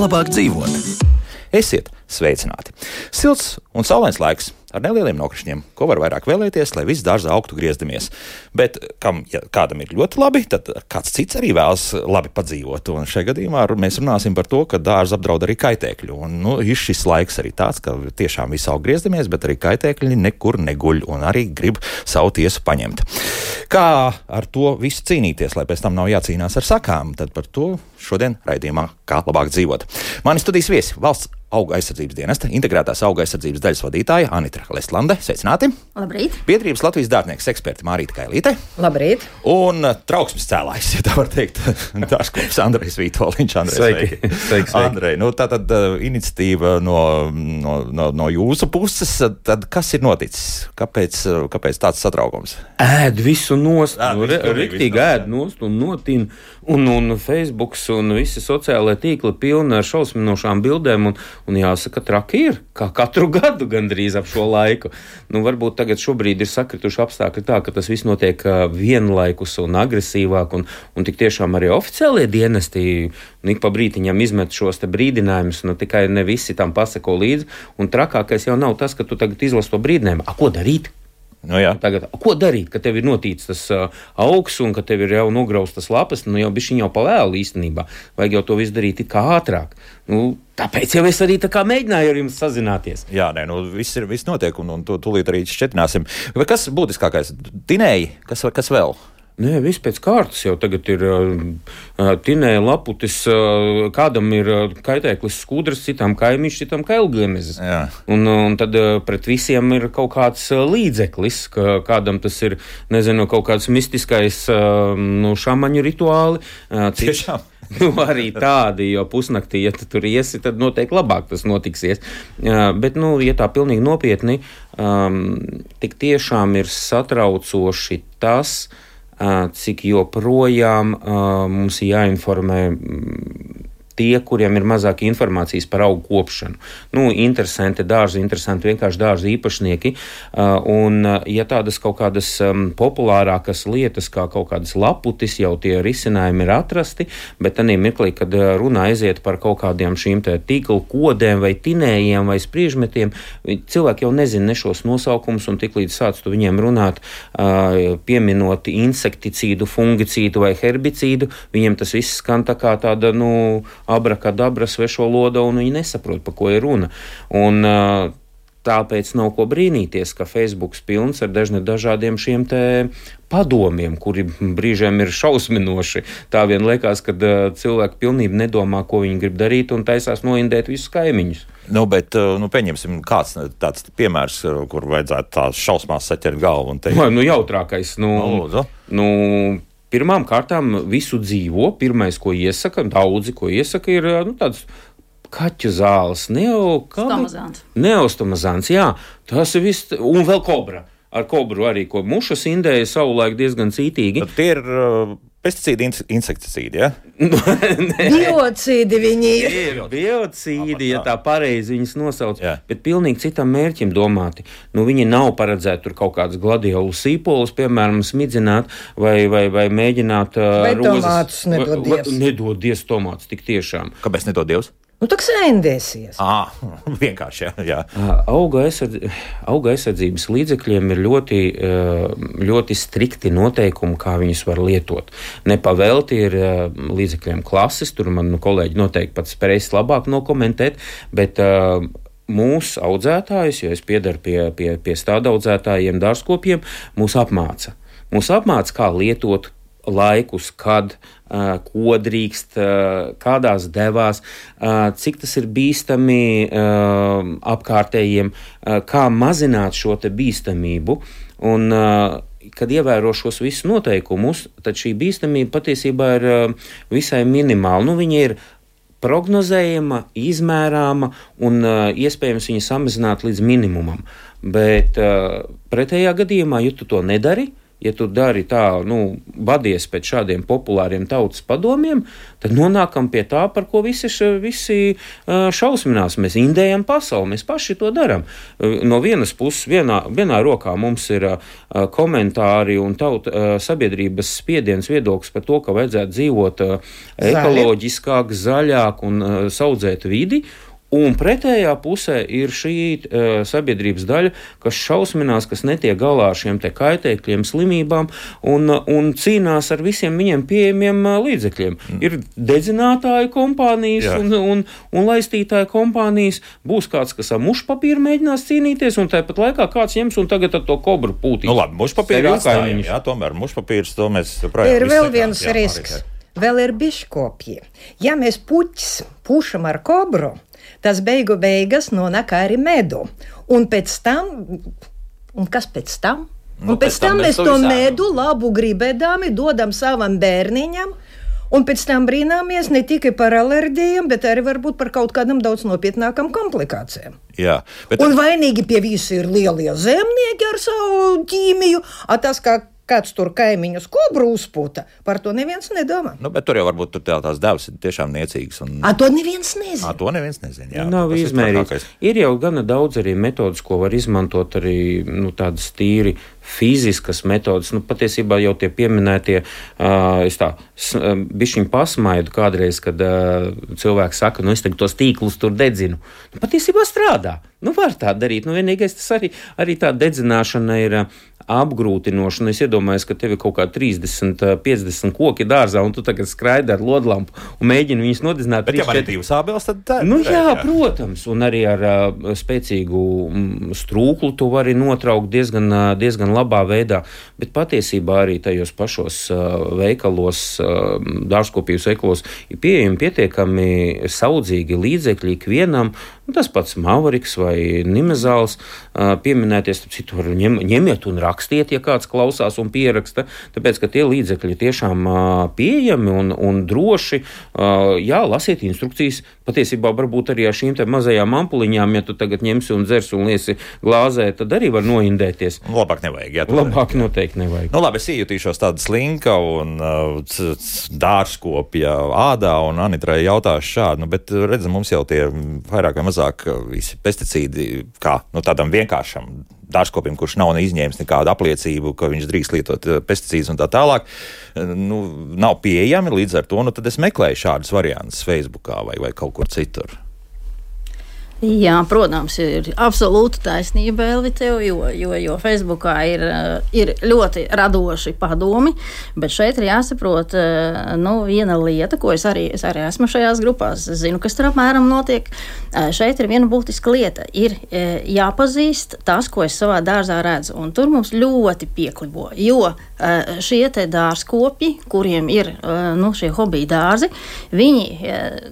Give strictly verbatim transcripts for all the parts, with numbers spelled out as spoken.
labāk dzīvot? Esiet sveicināti! Silts un saulains laiks ar nelieliem nokrišņiem, ko var vairāk vēlēties, lai viss dārzā augtu griezdamies. Bet kam, ja kādam ir ļoti labi, tad kāds cits arī vēlas labi padzīvot. Un šajā gadījumā mēs runāsim par to, ka dārza apdraud arī kaitēkļi. Un nu, ir šis laiks arī tāds, ka tiešām viss aug griezdamies, bet arī kaitēkļi nekur neguļ un arī grib savu tiesu paņemt. Kā ar to visu cīnīties, lai pēc tam nav jācīnās ar sakām, tad par to šodien raidījumā Kā labāk dzīvot. Mani studijas viesi valsts auga aizsardzības dienesta integrētās auga aizsardzības daļas vadītāja Anita Lestlande. Sveicināti! Labrīt! Biedrības Latvijas dārznieks eksperti Mārīta Kailīte. Labrīt! Un trauksmes cēlājs, ja tā var teikt, dārzkopis Andrejs Vītoliņš. Andrej, sveiki! Sveiki, sveiki. Andrej, nu tā tad uh, iniciatīva no, no, no, no jūsu puses, tad kas ir noticis? Kāpēc, kāpēc tāds satraukums? Ēd visu nost, Ēd nu, visu, re, riktīgi ēd nost un notin, un, un Facebooks un visi sociālai tīkli pilni ar šausminošām bildēm, un, un jāsaka, traki ir, kā katru gadu gandrīz ap šo laiku. Nu, varbūt tagad šobrīd ir sakrituši apstākļi tā, ka tas viss notiek vienlaikus un agresīvāk, un, un tik tiešām arī oficiālie dienesti ik pa brītiņam izmet šos te brīdinājumus, nu tikai ne visi tam pasako līdzi, un trakākais jau nav tas, ka tu tagad izlasi to brīdinājumu. A, ko darīt? Nu, jā. Tagad, ko darīt, kad tev ir notīts tas uh, augs un ka tev ir jau nograustas lapas, nu jau bišķiņ jau pavēlu īstenībā. Vajag jau to visu darīt it kā ātrāk. Nu, tāpēc jau es arī tā kā mēģināju ar jums sazināties. Jā, nē, nu viss ir, viss notiek un, un to tūlīt arī šķetināsim. Vai kas būtiskākais? Tinēji? Kas, kas vēl? Nē, viss pēc kārtas jau tagad ir uh, tinēja laputis, uh, kādam ir uh, kaitēklis skudras, citam kaimiņš, citam kailgliemezes. Un, un tad uh, pret visiem ir kaut kāds uh, līdzeklis, ka kādam tas ir, nezinu, kaut kāds mistiskais uh, nu, šamaņu rituāli. Uh, cits, Tiešām? Nu, arī tādi, jo pusnaktī, ja tu tur iesi, tad noteikti labāk tas notiksies. Uh, bet, nu, ja tā pilnīgi nopietni, um, tik tiešām ir satraucoši tas, cik joprojām uh, mums jāinformē tie, kuriem ir mazāk informācijas par augu kopšanu. Nu, interesanti dārzi, interesanti vienkārši dārzi īpašnieki. Uh, un, uh, ja tādas kaut kādas um, populārākas lietas, kā kaut kādas laputis, jau tie risinājumi ir atrasti, bet tanī mirklī, kad uh, runā aiziet par kaut kādiem šīm te tīklu kodēm vai tinējiem vai spriežmetiem, cilvēki jau nezina ne šos nosaukumus, un tik līdz sāc tu viņiem runāt, uh, pieminot insekticīdu, fungicīdu vai herbicīdu, viņiem tas viss skan tā kā tāda, nu, abrakadabra svešo loda, un viņi nesaprot, pa ko ir runa. Un uh, tāpēc nav ko brīnīties, ka Facebooks pilns ar dažne dažādiem šiem te padomiem, kuri brīžiem ir šausminoši. Tā vien liekas, kad uh, cilvēki pilnībā nedomā, ko viņi grib darīt, un taisās noindēt visus kaimiņus. Nu, bet, nu, pieņemsim kāds tāds piemērs, kur vajadzētu tās šausmās saķert galvu un teikt. Nu, nu jautrākais, nu... Nu, nu Pirmām kārtām visu dzīvo, pirmais, ko iesaka, daudzi, ko iesaka, ir nu, tāds kaķu zāles, neostomazāns. Neostomazāns, jā, tas ir viss, un vēl kobra. Ar kobru arī, ko mušas indēja savulaik diezgan cītīgi. Tad tie ir uh, pesticīdi, insekticīdi, ja? Biocīdi viņi ir. Ir biocīdi, ja tā pareizi viņas nosauc, jā. Bet pilnīgi citam mērķim domāti. Nu, viņi nav paredzēti tur kaut kādas gladiolu sīpolus, piemēram, smidzināt vai, vai, vai mēģināt uh, vai rozes. Tomātus nedodies. Nedodies tomātus, tik tiešām. Kāpēc nedodies? Nu, tā kā sēndēsies. Ah, vienkārši, jā. jā. Auga, aizsardz... Auga aizsardzības līdzekļiem ir ļoti, ļoti strikti noteikumi, kā viņus var lietot. Nepavelti ir līdzekļiem klases, tur man nu, kolēģi noteikti pats spējas labāk nokomentēt, bet uh, mūsu audzētājus, jo es piedaru pie, pie, pie stāda audzētājiem, dārzkopiem, mūs apmāca. Mūs apmāca, kā lietot laikus, kad, uh, ko drīkst, uh, kādās devās, uh, cik tas ir bīstami uh, apkārtējiem, uh, kā mazināt šo te bīstamību. Un, uh, kad ievēro šos visus noteikumus, tad šī bīstamība patiesībā ir uh, visai minimāla. Nu, viņa ir prognozējama, izmērāma un uh, iespējams viņa samazināt līdz minimumam. Bet uh, pretējā gadījumā, ja tu to nedari, ja tu dari tā, nu, badies pēc šādiem populāriem tautas padomiem, tad nonākam pie tā, par ko visi, visi šausminās. Mēs indējam pasauli, mēs paši to daram. No vienas puses, vienā, vienā rokā mums ir komentāri un tauta sabiedrības spiediens viedoklis par to, ka vajadzētu dzīvot ekoloģiskāk, zaļāk un saudzēt vidi. Un pretējā pusē ir šī uh, sabiedrības daļa, kas šausminās, kas netiek galā ar šiem te kaitēkļiem, slimībām un, un cīnās ar visiem viņiem pieejamiem uh, līdzekļiem. Mm. Ir dedzinātāju kompānijas un, un, un laistītāju kompānijas. Būs kāds, kas ar mušpapīru mēģinās cīnīties, un tāpat laikā kāds ņems un tagad ar to kobru pūtīs. Nu labi, mušpapīru atstājam, jā, tomēr mušpapīrs, to mēs projām. Ir vēl viens risks. Vēl ir biškopji. Ja mēs puķis pušam ar kobru, tas beigu beigas nonāk arī medu. Un pēc tam, un kas pēc tam? Un nu, pēc, pēc tam, tam mēs to medu labu gribēdami dodam savam bērniņam, un pēc tam brīnāmies ne tikai par alerģijām, bet arī varbūt par kaut kādam daudz nopietnākam komplikācijām. Jā, bet un vainīgi pie visu ir lielie zemnieki ar savu ķīmiju, a tas kā kāds tur kaimiņus kobru uzputa, par to neviens nedomā. Nu, bet tur jau varbūt tur tā, tās devas ir tiešām niecīgas. Un... A, to neviens nezina. A, to neviens nezina, jā. Nav izmērīts. Ir jau gana daudz arī metodas, ko var izmantot arī, nu, tādas tīri fiziskas metodas. Nu, patiesībā jau tie pieminētie, uh, es tā, bišķiņ pasmaidu kādreiz, kad uh, cilvēki saka, nu, es tagad tos tīklus tur dedzinu. Nu, patiesībā strādā. Nu, var tā darīt. Nu, vienīgais tas arī, arī tā dedzināšana ir uh, apgrūtinošana. Es iedomājos, ka tev ir kaut kā trīsdesmit, piecdesmit koki dārzā, un tu tagad skraidi ar lodlampu un mēģini viņus nodedzināt. Bet, ja man ir divas ābeles, tad tā ir. Nu, jā, jā, protams. Un arī ar uh, spēcīgu mm, strūklu tu vari notraukt diezgan, uh, diezgan labā veidā. Bet patiesībā arī tajos pašos uh, veikalos, uh, dārzkopības veikalos ir pieejami pietiekami saudzīgi līdzekļi ikvienam. Nu, tas pats Maveriks vai Nimezāls uh, pieminēties, tad citu var ņem, ņemiet un rakstiet, ja kāds klausās un pieraksta, tāpēc, ka tie līdzekļi tiešām uh, pieejami un, un droši. Uh, jā, lasiet instrukcijas, patiesībā varbūt arī ar šīm te mazajām ampuliņām, ja tu tagad ņemsi un dzers un liesi glāzē, tad arī var noindēties. Labāk nevajag, jā. Labāk noteikti nevajag. Nu labi, es iejutīšos tādu slinka un uh, dārzkopja ādā, un Anitrai jautāšu šādu, nu, bet redzam, mums jau tie vairāk vai mazāk visi pesticīdi, kā nu, tādam vienkāršam dārzkopim, kurš nav izņēmis nekādu apliecību, ka viņš drīkst lietot pesticīdus un tā tālāk, nu, nav pieejami, līdz ar to, nu, tad es meklēju šādus variantus Facebookā vai, vai kaut kur citur. Jā, protams, ir absolūta taisnība, Elvi, tev, jo, jo, jo Facebookā ir, ir ļoti radoši padomi, bet šeit ir jāsaprot, nu, viena lieta, ko es arī, es arī esmu šajās grupās, es zinu, kas tur apmēram notiek. Šeit ir viena būtiska lieta, ir jāpazīst tas, ko es savā dārzā redzu, un tur mums ļoti pieklibo, jo šie te dārzkopi, kuriem ir, nu, šie hobija dārzi, viņi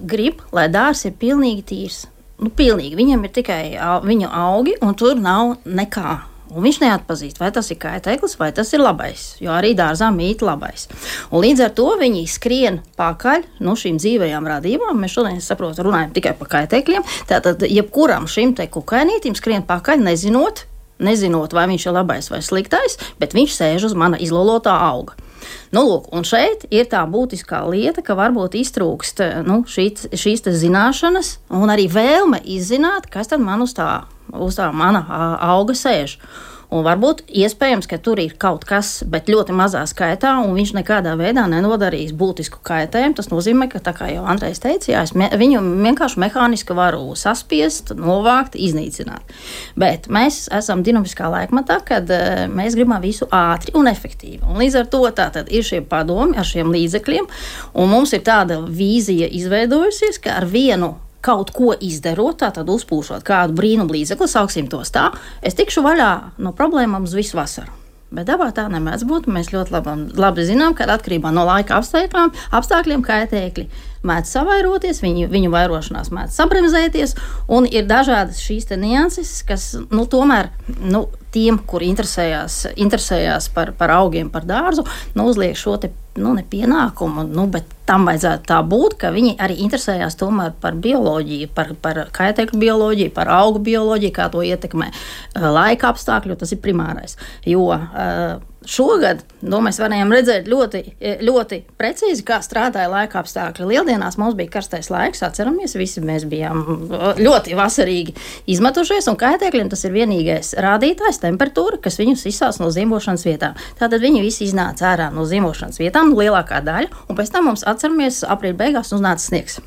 grib, lai dārs ir pilnīgi tīrs. Nu, pilnīgi. Viņam ir tikai viņu augi, un tur nav nekā. Un viņš neatpazīst, vai tas ir kaitēklis, vai tas ir labais, jo arī dārzā mīt labais. Un līdz ar to viņi skrien pakaļ no šīm dzīvajām radībām. Mēs šodien, es saprotu, runājam tikai par kaitēkļiem. Tātad, jebkuram šim te kukainītim skrien pakaļ, nezinot, nezinot, vai viņš ir labais vai sliktais, bet viņš sēž uz mana izlolotā auga. Nu, lūk, un šeit ir tā būtiskā lieta, ka varbūt iztrūkst nu, šī, šīs zināšanas un arī vēlme izzināt, kas tad man uz tā, uz tā mana auga sēž. Un varbūt iespējams, ka tur ir kaut kas, bet ļoti mazā skaitā, un viņš nekādā veidā nenodarīs būtisku kaitējumu. Tas nozīmē, ka, tā kā jau Andrejs teica, jā, es me, viņu vienkārši mehāniski varu saspiest, novākt, iznīcināt. Bet mēs esam dinamiskā laikmatā, kad uh, mēs gribam visu ātri un efektīvi. Un līdz ar to tātad ir šie padomi ar šiem līdzekļiem, un mums ir tāda vīzija izveidojusies, ka ar vienu kaut ko izdarot, tātad uzpūšot kādu brīnumu līdzekli, sauksim tos tā, es tikšu vaļā no problēmām uz visu vasaru. Bet dabā tā nemēdz būt. Mēs ļoti labi, labi zinām, ka atkarībā no laika apstākļiem, apstākļiem kaitēkļi mēdz savairoties, viņu, viņu vairošanās mēdz sabremzēties, un ir dažādas šīs te nianses, kas, nu, tomēr, nu, tiem, kuri interesējās, interesējās par, par augiem, par dārzu, nu, uzliek šo te, nu, ne pienākumu, nu, bet tam vajadzētu tā būt, ka viņi arī interesējās tomēr par bioloģiju, par, par kaitēkļu bioloģiju, par augu bioloģiju, kā to ietekmē laika apstākļu, tas ir primārais. Jo uh, Šogad nu, mēs varējām redzēt ļoti, ļoti precīzi, kā strādāja laika apstākļi. Lieldienās mums bija karstais laiks, atceramies, visi mēs bijām ļoti vasarīgi izmetušies, un kaitēkļiem tas ir vienīgais rādītājs, temperatūra, kas viņus izsauc no zīmošanas vietām. Tātad viņi visi iznāca ārā no zīmošanas vietām, lielākā daļa, un pēc tam mums, atceramies, aprīļa beigās uznāca sniegs.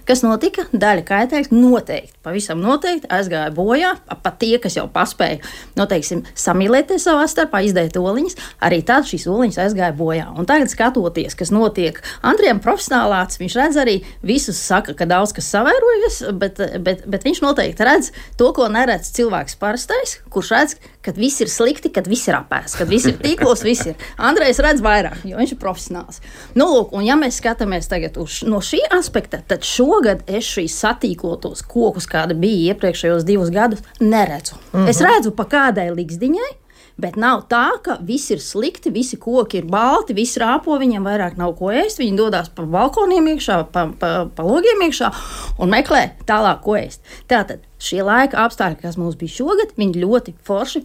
Kas notika? Daļa kaitēkļu noteikti, pavisam noteikti aizgāja bojā, pat tie, kas jau paspēja, nu, teiksim, samīlēties savā starpā, izdēt oliņas, arī tad šīs oliņas aizgāja bojā. Un tagad skatoties, kas notiek, Andrijam profesionālāts, viņš redz arī, visus saka, ka daudz kas savērojas, bet, bet, bet viņš noteikti redz to, ko neredz cilvēks parastais, kurš redz, kad viss ir slikti, kad viss ir apēsts, kad viss ir tīklos, viss ir. Andrejs redz vairāk, jo viņš ir profesionāls. Nu, lūk, un ja mēs skatāmies tagad uz, no šī aspekta, tad šogad es šīs satīklotos kokus, kāda bija iepriekšējos divus gadus, neredzu. Uh-huh. Es redzu pa kādai ligzdiņai, bet nav tā, ka viss ir slikti, visi koki ir balti, visi rāpo, viņiem vairāk nav ko ēst, viņi dodās pa balkoniem iekšā, pa, pa, pa logiem iekšā un meklē tālāk ko ēst. Tātad šie laika apstākļi, kas mums bija šogad, viņi ļoti forši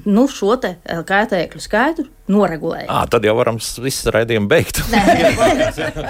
nu, šo te kaitēkļu skaitu noregulēja. À, tad jau varam visu raidījumu beigt. Nē,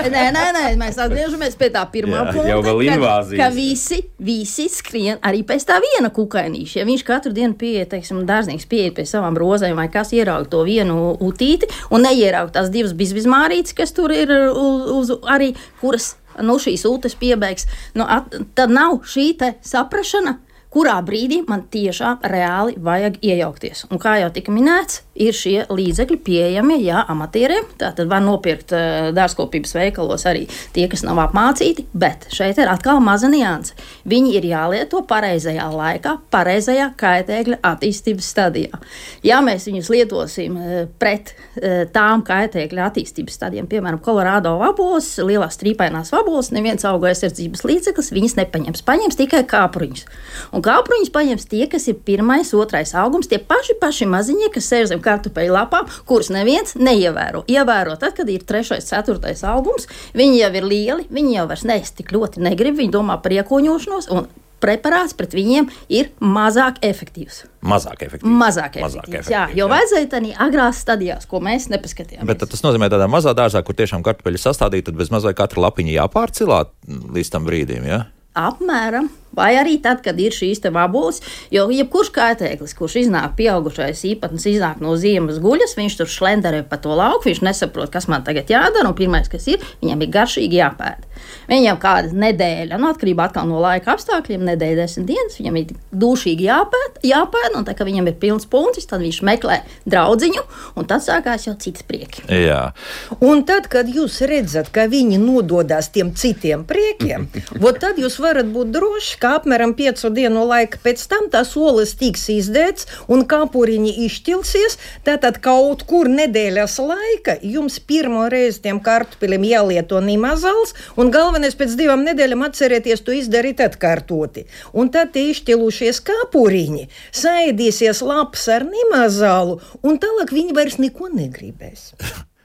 nē, nē, nē, mēs atgriežamies pie tā pirmā jā, punkta, jau vēl invāzijas. Ka, ka visi, visi skrien arī pēc tā viena kukainīša. Ja viņš katru dienu pieiet, teiksim, dārznieks pieiet pie savām rozēm vai kas ieraug to vienu utīti un neieraug tās divas bizbizmārītes, kas tur ir uz, uz arī, kuras, nu, šīs ūtes piebeigs, nu, at, tad nav šī te saprašana, kurā brīdī man tiešām reāli vajag iejaukties. Un kā jau tika minēts, ir šie līdzekļi pieejami, jā, amatieriem. Tātad var nopirkt uh, dārzkopības veikalos arī tie, kas nav apmācīti, bet šeit ir atkal maza nianse. Viņi ir jālieto pareizajā laikā, pareizajā kaitēkļa attīstības stadijā. Ja mēs viņus lietosim uh, pret uh, tām kaitēkļa attīstības stadijām, piemēram, Kolorādo vaboles, lielās strīpainās vaboles, neviens auga aizsardzības līdzeklis viņas nepaņems, paņems tikai kāpruņus. Un kāpruņus paņems tie, kas ir pirmais, otrais augums, tie paši, paši maziņie, kas sēž zem kartupeļu lapām, kurus neviens neievēro. Ievēro tad, kad ir trešais, ceturtais augums, viņi jau ir lieli, viņi jau vairs neist tik ļoti negrib, viņi domā par iekoņošanos, un preparāts pret viņiem ir mazāk efektīvs. Mazāk efektīvs. Mazāk efektīvs, mazāk efektīvs jā, jo jā. Vajadzēja tādā agrās stadijās, ko mēs nepaskatījāmies. Bet tas nozīmē tādā mazā dārzā, kur tiešām kartupeļi sastādīti, tad bez mazliet katra lapiņa jāpārcilā līdz tam brīdim, ja? Apmēram. Vai arī tad, kad ir šīs te vaboles, jo jebkurš kaitēklis, kurš iznāk pieaugušais īpatnis, iznāk no ziemas guļas, viņš tur šlenderē pa to lauku, viņš nesaprot, kas man tagad jādara, un pirmais, kas ir, viņam ir garšīgi jāpēd. Viņam kāda nedēļa, nu atkarībā atkal no laika apstākļiem, nedēļa desmit dienas, viņam ir dūšīgi jāpēd, jāpēd, un tā, ka viņam ir pilns puncis, tad viņš meklē draudziņu, un tad sākās jau cits prieki. Jā. Un tad, kad jūs redzat, ka viņi nododās tiem citiem priekiem, vot tad jūs varat būt droši, ka apmēram piecu dienu laika pēc tam tās olas tiks izdēts un kāpuriņi izšķilsies, tātad kaut kur nedēļas laika jums pirmo reizi tiem kartupeļiem jālieto nimazals, un galvenais pēc divām nedēļām atcerieties to izdarīt atkārtoti. Un tad tie izšķilušies kāpuriņi saēdīsies lapas ar nimazalu, un tālāk viņi vairs neko negribēs.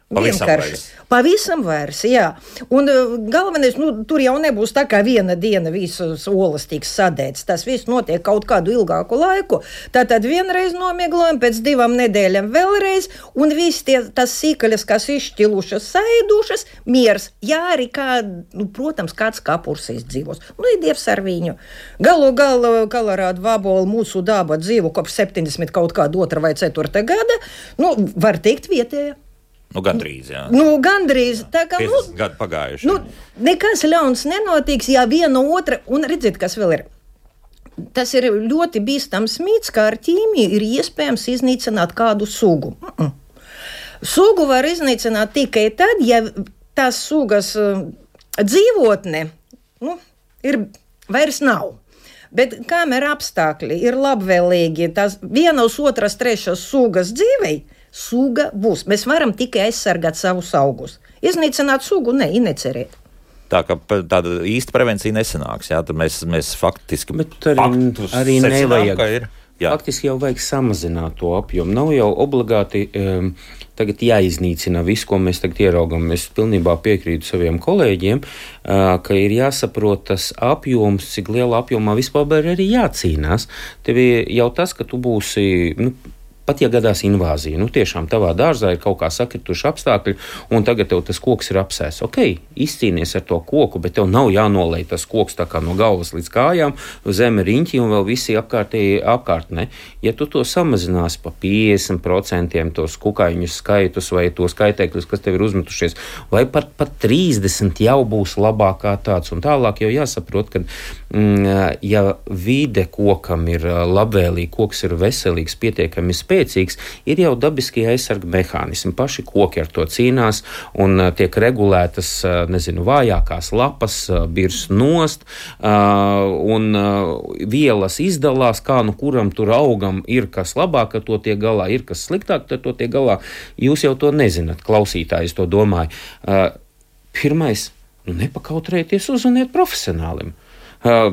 Pavisam vairs. Pavisam vairs, jā. Un uh, galvenais, nu, tur jau nebūs tā, kā viena diena visas olas tiks sadēts. Tas viss notiek kaut kādu ilgāku laiku. Tātad vienreiz nomieglojam, pēc divām nedēļām vēlreiz, un viss tie, tas sīkaļas, kas izšķilušas, saēdušas, miers. Jā, arī kā, nu, protams, kāds kapurs izdzīvos. Nu, ir dievs ar viņu. Galu galu Kolorādo vaboli mūsu daba dzīvo kopš septiņdesmit kaut kāda otra vai ceturta gada. Nu, var teikt vietēja. Nu, gandrīz, jā. Nu, gandrīz. Tā kā, nu, gadu pagājuši. Nu, nekas ļauns nenotiks, ja viena otra, un redziet, kas vēl ir. Tas ir ļoti bīstams mīts, kā ar ķīmiju ir iespējams iznīcināt kādu sugu. Mm-mm. Sugu var iznīcināt tikai tad, ja tās sugas uh, dzīvotne, nu, ir, vairs nav. Bet kamēr apstākļi ir labvēlīgi, tās vienas, otras, trešas sugas dzīvei, suga būs. Mēs varam tikai aizsargāt savus augus. Iznīcināt sugu, ne, necerēt. Tā kā tāda īsta prevencija nesanāks, jā, tad mēs, mēs faktiski Bet arī, arī nevajag. Ir, faktiski jau vajag samazināt to apjomu. Nav jau obligāti um, tagad jāiznīcina viss, ko mēs tagad ieraugam. Es pilnībā piekrītu saviem kolēģiem, uh, ka ir jāsaprot tas apjoms, cik liela apjomā vispār arī jācīnās. Tev jau tas, ka tu būsi... Nu, pat ja gadās invāzija, nu tiešām tavā dārzā ir kaut kā sakrituši apstākļi, un tagad tev tas koks ir apsēs. Ok, izcīnies ar to koku, bet tev nav jānolej tas koks tā kā no galvas līdz kājām, zeme riņķi un vēl visi apkārtēji apkārtnē. Ja tu to samazinās pa piecdesmit procentiem tos kukaiņu skaitus vai tos kaitēkļus, kas tev ir uzmetušies, vai pat pat trīsdesmit jau būs labākā tāds, un tālāk jau jāsaprot, ka mm, ja vide kokam ir labvēlīga, koks ir veselīgs, pietiekami spēcīgs, ir jau dabiskie aizsarga mehānismi. Paši koki ar to cīnās un tiek regulētas, nezinu, vājākās lapas, birs nost, un vielas izdalās, kā nu kuram tur augam ir kas labāk, ka to tiek galā, ir kas sliktāk, tad to tiek galā. Jūs jau to nezināt, klausītājs to domāju. Pirmais, nu nepakautrējieties, uzzvaniet profesionālim. Uh,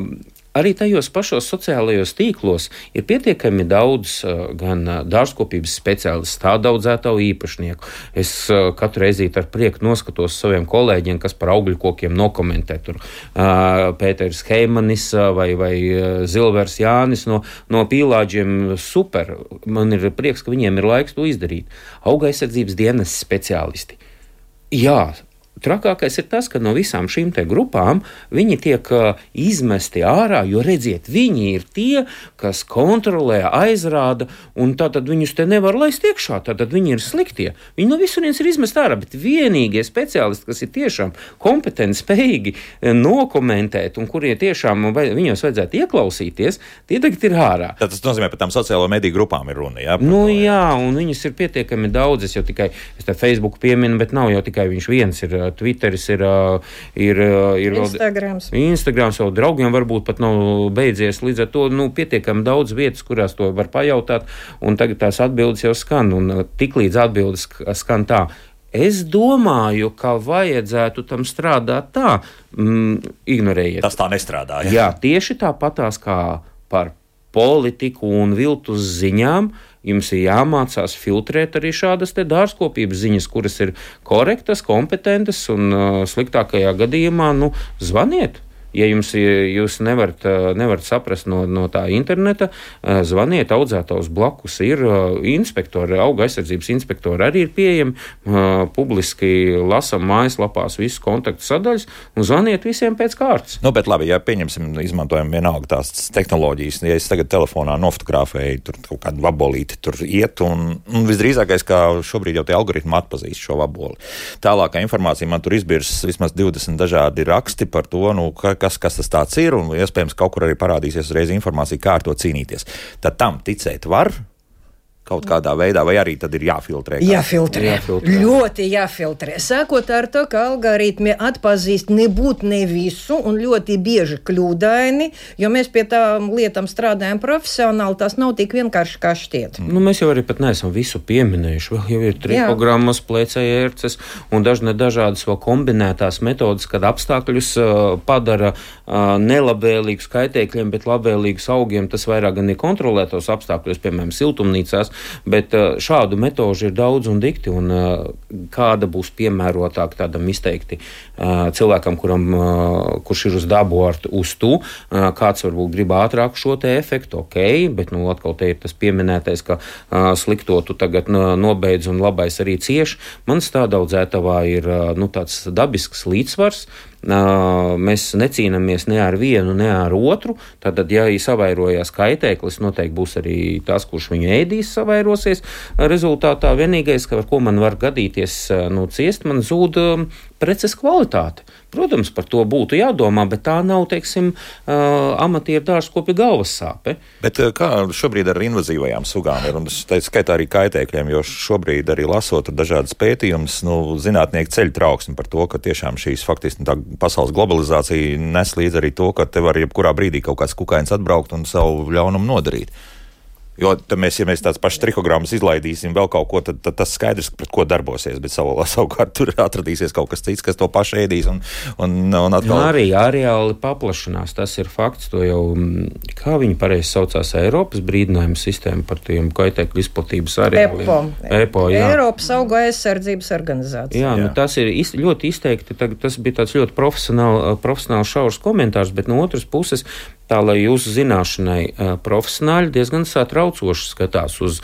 arī tajos pašos sociālajos tīklos ir pietiekami daudz uh, gan uh, dārzkopības speciālistu, tādu audzētāju īpašnieku. Es uh, katru reizi ar prieku noskatos saviem kolēģiem, kas par augļu kokiem nokomentē. Tur uh, Pēters Heimanis uh, vai, vai uh, Zilvers Jānis no, no pīlāģiem. Super. Man ir prieks, ka viņiem ir laiks to izdarīt. Auga aizsardzības dienas speciālisti. Jā. Trakākais ir tas, ka no visām šīm te grupām viņi tiek uh, izmesti ārā, jo redziet, viņi ir tie, kas kontrolē, aizrāda, un tātad viņus te nevar laist iekšā, tātad viņi ir sliktie. Viņi no visurienes ir izmesti ārā, bet vienīgie speciālisti, kas ir tiešām kompetenti, spējīgi nokomentēt, un kuriem tiešām vai, viņos vajadzētu ieklausīties, tie tagad ir ārā. Tad tas nozīmē, par tām sociālo mediju grupām ir runa, jā? Nu to, jā, un viņas ir pietiekami daudz, es jau tikai, es te Facebook pieminu, bet nav jau tikai viņš viens ir. Twitteris ir, ir, ir Instagrams. Vēl, Instagrams jau draugiem varbūt pat nav beidzies. Līdz ar to nu, pietiekami daudz vietas, kurās to var pajautāt, un tagad tās atbildes jau skan, un tiklīdz atbildes skan tā. Es domāju, ka vajadzētu tam strādāt tā, mm, ignorējiet. Tas tā nestrādā, jā? Jā, tieši tāpatās kā par politiku un viltus ziņām, jums ir jāmācās filtrēt arī šādas te dārzkopības ziņas, kuras ir korektas, kompetentas un uh, sliktākajā gadījumā, nu, zvaniet. Ja jums jūs nevarat, nevarat saprast no, no tā interneta, zvaniet, audzētājs blakus ir inspektori, auga aizsardzības inspektori arī ir pieejami, publiski lasam mājaslapās visus kontaktu sadaļas un zvaniet visiem pēc kārtas. Nu, bet labi, ja pieņemsim, izmantojam vienalga tās tehnoloģijas, ja es tagad telefonā nofotografēju, tur kaut kādu vabolīti tur iet, un, un visdrīzākais, kā šobrīd jau tie algoritmi atpazīst šo vaboli. Tālākā informācija man tur izbirs vismaz divdesmit dažādi raksti par to, nu, ka Kas, kas tas tāds ir, un iespējams kaut kur arī parādīsies uzreiz informācija, kā ar to cīnīties. Tad tam ticēt var kaut kādā veidā, vai arī tad ir jāfiltrē? Kā? Jāfiltrē. jāfiltrē. Ļoti jāfiltrē. Sākot ar to, ka algoritmi atpazīst nebūt ne visu un ļoti bieži kļūdaini, jo mēs pie tām lietām strādājam profesionāli, tas nav tik vienkārši kā šķiet. Nu, mēs jau arī pat neesam visu pieminējuši. Vēl jau ir trikogrammas, plēcējērces un dažne dažādas vēl kombinētās metodas, kad apstākļus uh, padara uh, nelabvēlīgus kaitēkļiem, bet labvēlīgus augiem. Tas vairāk gan ir kontrolētos apstākļos, piemēram, siltumnīcās, bet šādu metožu ir daudz un dikti, un kāda būs piemērotāk tādam izteikti cilvēkam, kuram, kurš ir uz dabu ar uz tu, kāds varbūt grib ātrāk šo te efektu, ok, bet nu atkal te ir tas pieminētais, ka slikto tu tagad nobeidz un labais arī cieš. Mans tādā audzētavā ir nu, tāds dabisks līdzsvars. Mēs necīnāmies ne ar vienu, ne ar otru. Tātad, ja savairojās kaitēklis, noteikti būs arī tas, kurš viņu ēdīs, savairosies. Rezultātā vienīgais, ar ko man var gadīties, nu, ciest, man zūd preces kvalitāte. Protams, par to būtu jādomā, bet tā nav, teiksim, amatieru dārzkopja galvas sāpe. Bet kā šobrīd ar invazīvajām sugām ir, un es teicu, skaitā arī kaitēkļiem, jo šobrīd arī lasot dažādas pētījumus, nu, zinātnieki ceļ trauksmi par to, ka tiešām šīs faktiski tā pasaules globalizācija nes līdz arī to, ka te var jebkurā brīdī kaut kāds kukainis atbraukt un savu ļaunumu nodarīt. Jo mēs, ja mēs tāds pašs trikogrammas izlaidīsim vēl kaut ko, tad, tad tas skaidrs, pret ko darbosies, bet savu, savukārt tur atradīsies kaut kas cits, kas to pašu ēdīs un, un, un atkal... Nu, arī areāli paplašanās, tas ir fakts, to jau, kā viņi pareizi saucās, Eiropas brīdinājuma sistēma par tiem kaitēkļu izplatības areāliem. EPO. EPO, jā. Eiropas augu aizsardzības organizācija. Jā, jā. Nu, tas ir iz, ļoti izteikti, tas bija tāds ļoti profesionāls šaurs komentārs, bet no otras puses Tā, lai jūsu zināšanai profesionāļi diezgan satraucoši skatās uz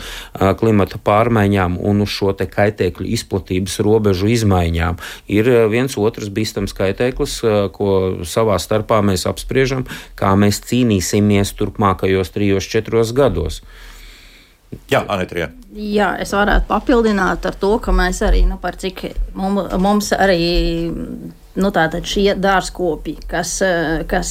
klimata pārmaiņām un uz šo te kaitēkļu izplatības robežu izmaiņām. Ir viens otrs bīstams kaitēklis, ko savā starpā mēs apspriežam, kā mēs cīnīsimies turpmākajos trijos, četros gados. Jā, Anita. Jā, es varētu papildināt ar to, ka mēs arī, nu, par cik mums, mums arī. Nu, tātad šie dārzkopi, kas, kas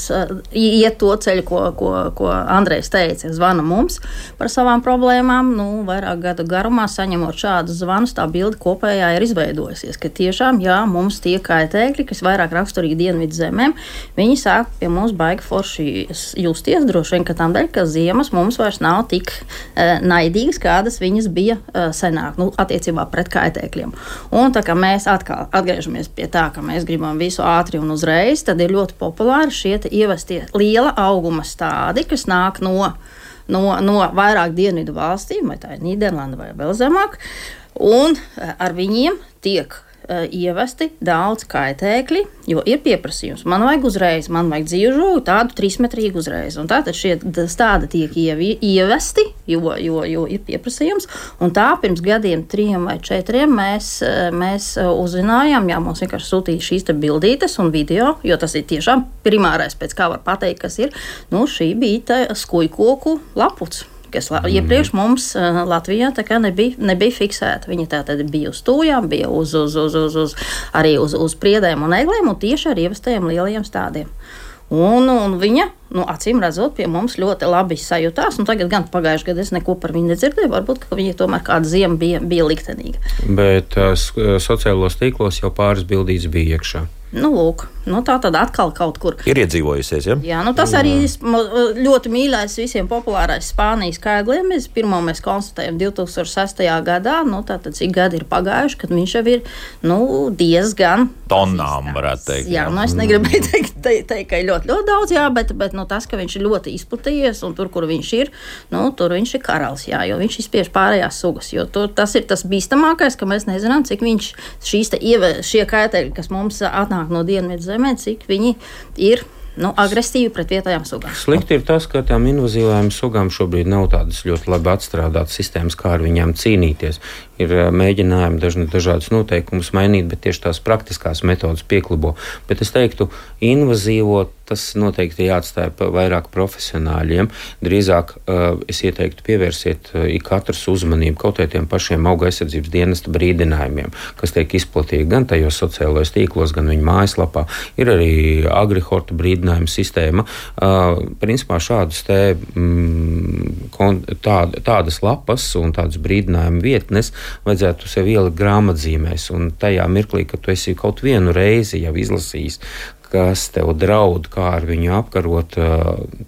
iet to ceļu, ko, ko, ko Andrejs teica, zvana mums par savām problēmām, nu, vairāk gadu garumā saņemot šādus zvanus, tā bilde kopējā ir izveidojusies, ka tiešām, jā, mums tie kaitēkļi, kas vairāk raksturīgi dienvidu zemēm, viņi sāk pie mums baigi forši justies, droši vien, ka tam dēļ, ka ziemas mums vairs nav tik uh, naidīgas, kādas viņas bija uh, senāk, nu, attiecībā pret kaitēkļiem. Un tā kā mēs atkal atgriežamies pie tā, ka mēs gribam visu ātri un uzreiz, tad ir ļoti populāri šie ievestie liela auguma stādi, kas nāk no, no, no vairāk dienvidu valstīm, vai tā ir Nīderlanda vai vēl zemāk, un ar viņiem tiek uh, ievesti daudz kaitēkļi, jo ir pieprasījums. Man vajag uzreiz, man vajag dzīvu tādu trīsmetrīgu uzreiz. Un tātad šie stādi tiek ievi, ievesti, jo, jo, jo ir pieprasījums. Un tā pirms gadiem, trim vai četriem, mēs, mēs uzzinājām, jā, mums vienkārši sūtīja šīs te bildītes un video, jo tas ir tiešām primārais, pēc kā var pateikt, kas ir. Nu, šī bija tā skujkoku laputs, kas iepriekš mums Latvijā tā kā nebija, nebija fiksēta. Viņa tā tad bija uz tūjām, bija uz, uz, uz, uz, uz, arī uz, uz priedēm un eglēm un tieši ar ievestajiem lielajiem stādiem. Un, un viņa, nu, acīm redzot, pie mums ļoti labi sajūtās, un tagad gan pagājušajā gadā es neko par viņu nedzirdēju, varbūt, ka viņa tomēr kāda ziema bija, bija liktenīga. Bet uh, sociālos tīklos jau pāris bildītes bija iekšā. Nu, lūk, nu, tā tad atkal kaut kur. Ir iedzīvojusies, ja? Jā, nu tas arī ļoti mīļais visiem populārais Spānijas kaigļiem. Mēs pirmo mēs konstatējam divi tūkstoši sestajā gadā, nu tātad cik gadi ir pagājuši, kad viņš jau ir, nu, diezgan tonnām, varētu teikt. Jā, jā, nu es negribēju teikt, teikt, teikt, ka ir ļoti, ļoti daudz, jā, bet, bet nu, tas, ka viņš ir ļoti izplatījies un tur, kur viņš ir, nu, tur viņš ir karalis, jā, jo viņš izspiež pārējās sugas, jo tur tas ir tas bīstamākais, ka mēs nezinām, cik viņš šīs te ieve, šie kaitēļi, kas mums atnāk no dienvidu zemē, cik viņi ir, nu, agresīvi pret vietējām sugām. Slikti ir tas, ka tām invazīvajām sugām šobrīd nav tādas ļoti labi atstrādātas sistēmas, kā ar viņām cīnīties. Ir mēģinājumi dažni dažādus noteikumus mainīt, bet tieši tās praktiskās metodas pieklibo. Bet es teiktu, invazīvo tas noteikti jāatstāja vairāk profesionāļiem. Drīzāk uh, es ieteiktu pievērsiet uh, katrs uzmanību kaut tiem pašiem auga aizsardzības dienesta brīdinājumiem, kas tiek izplatīti gan tajos sociālajos tīklos, gan viņu mājaslapā. Ir arī agrihorta brīdinājuma sistēma. Uh, principā šādus te mm, tād, tādas lapas un tādas brīdinājuma vietnes vajadzētu sev ielikt grāmatzīmēs, un tajā mirklī, kad tu esi kaut vienu reizi jau izlasījis, kas tev draud, kā ar viņu apkarot,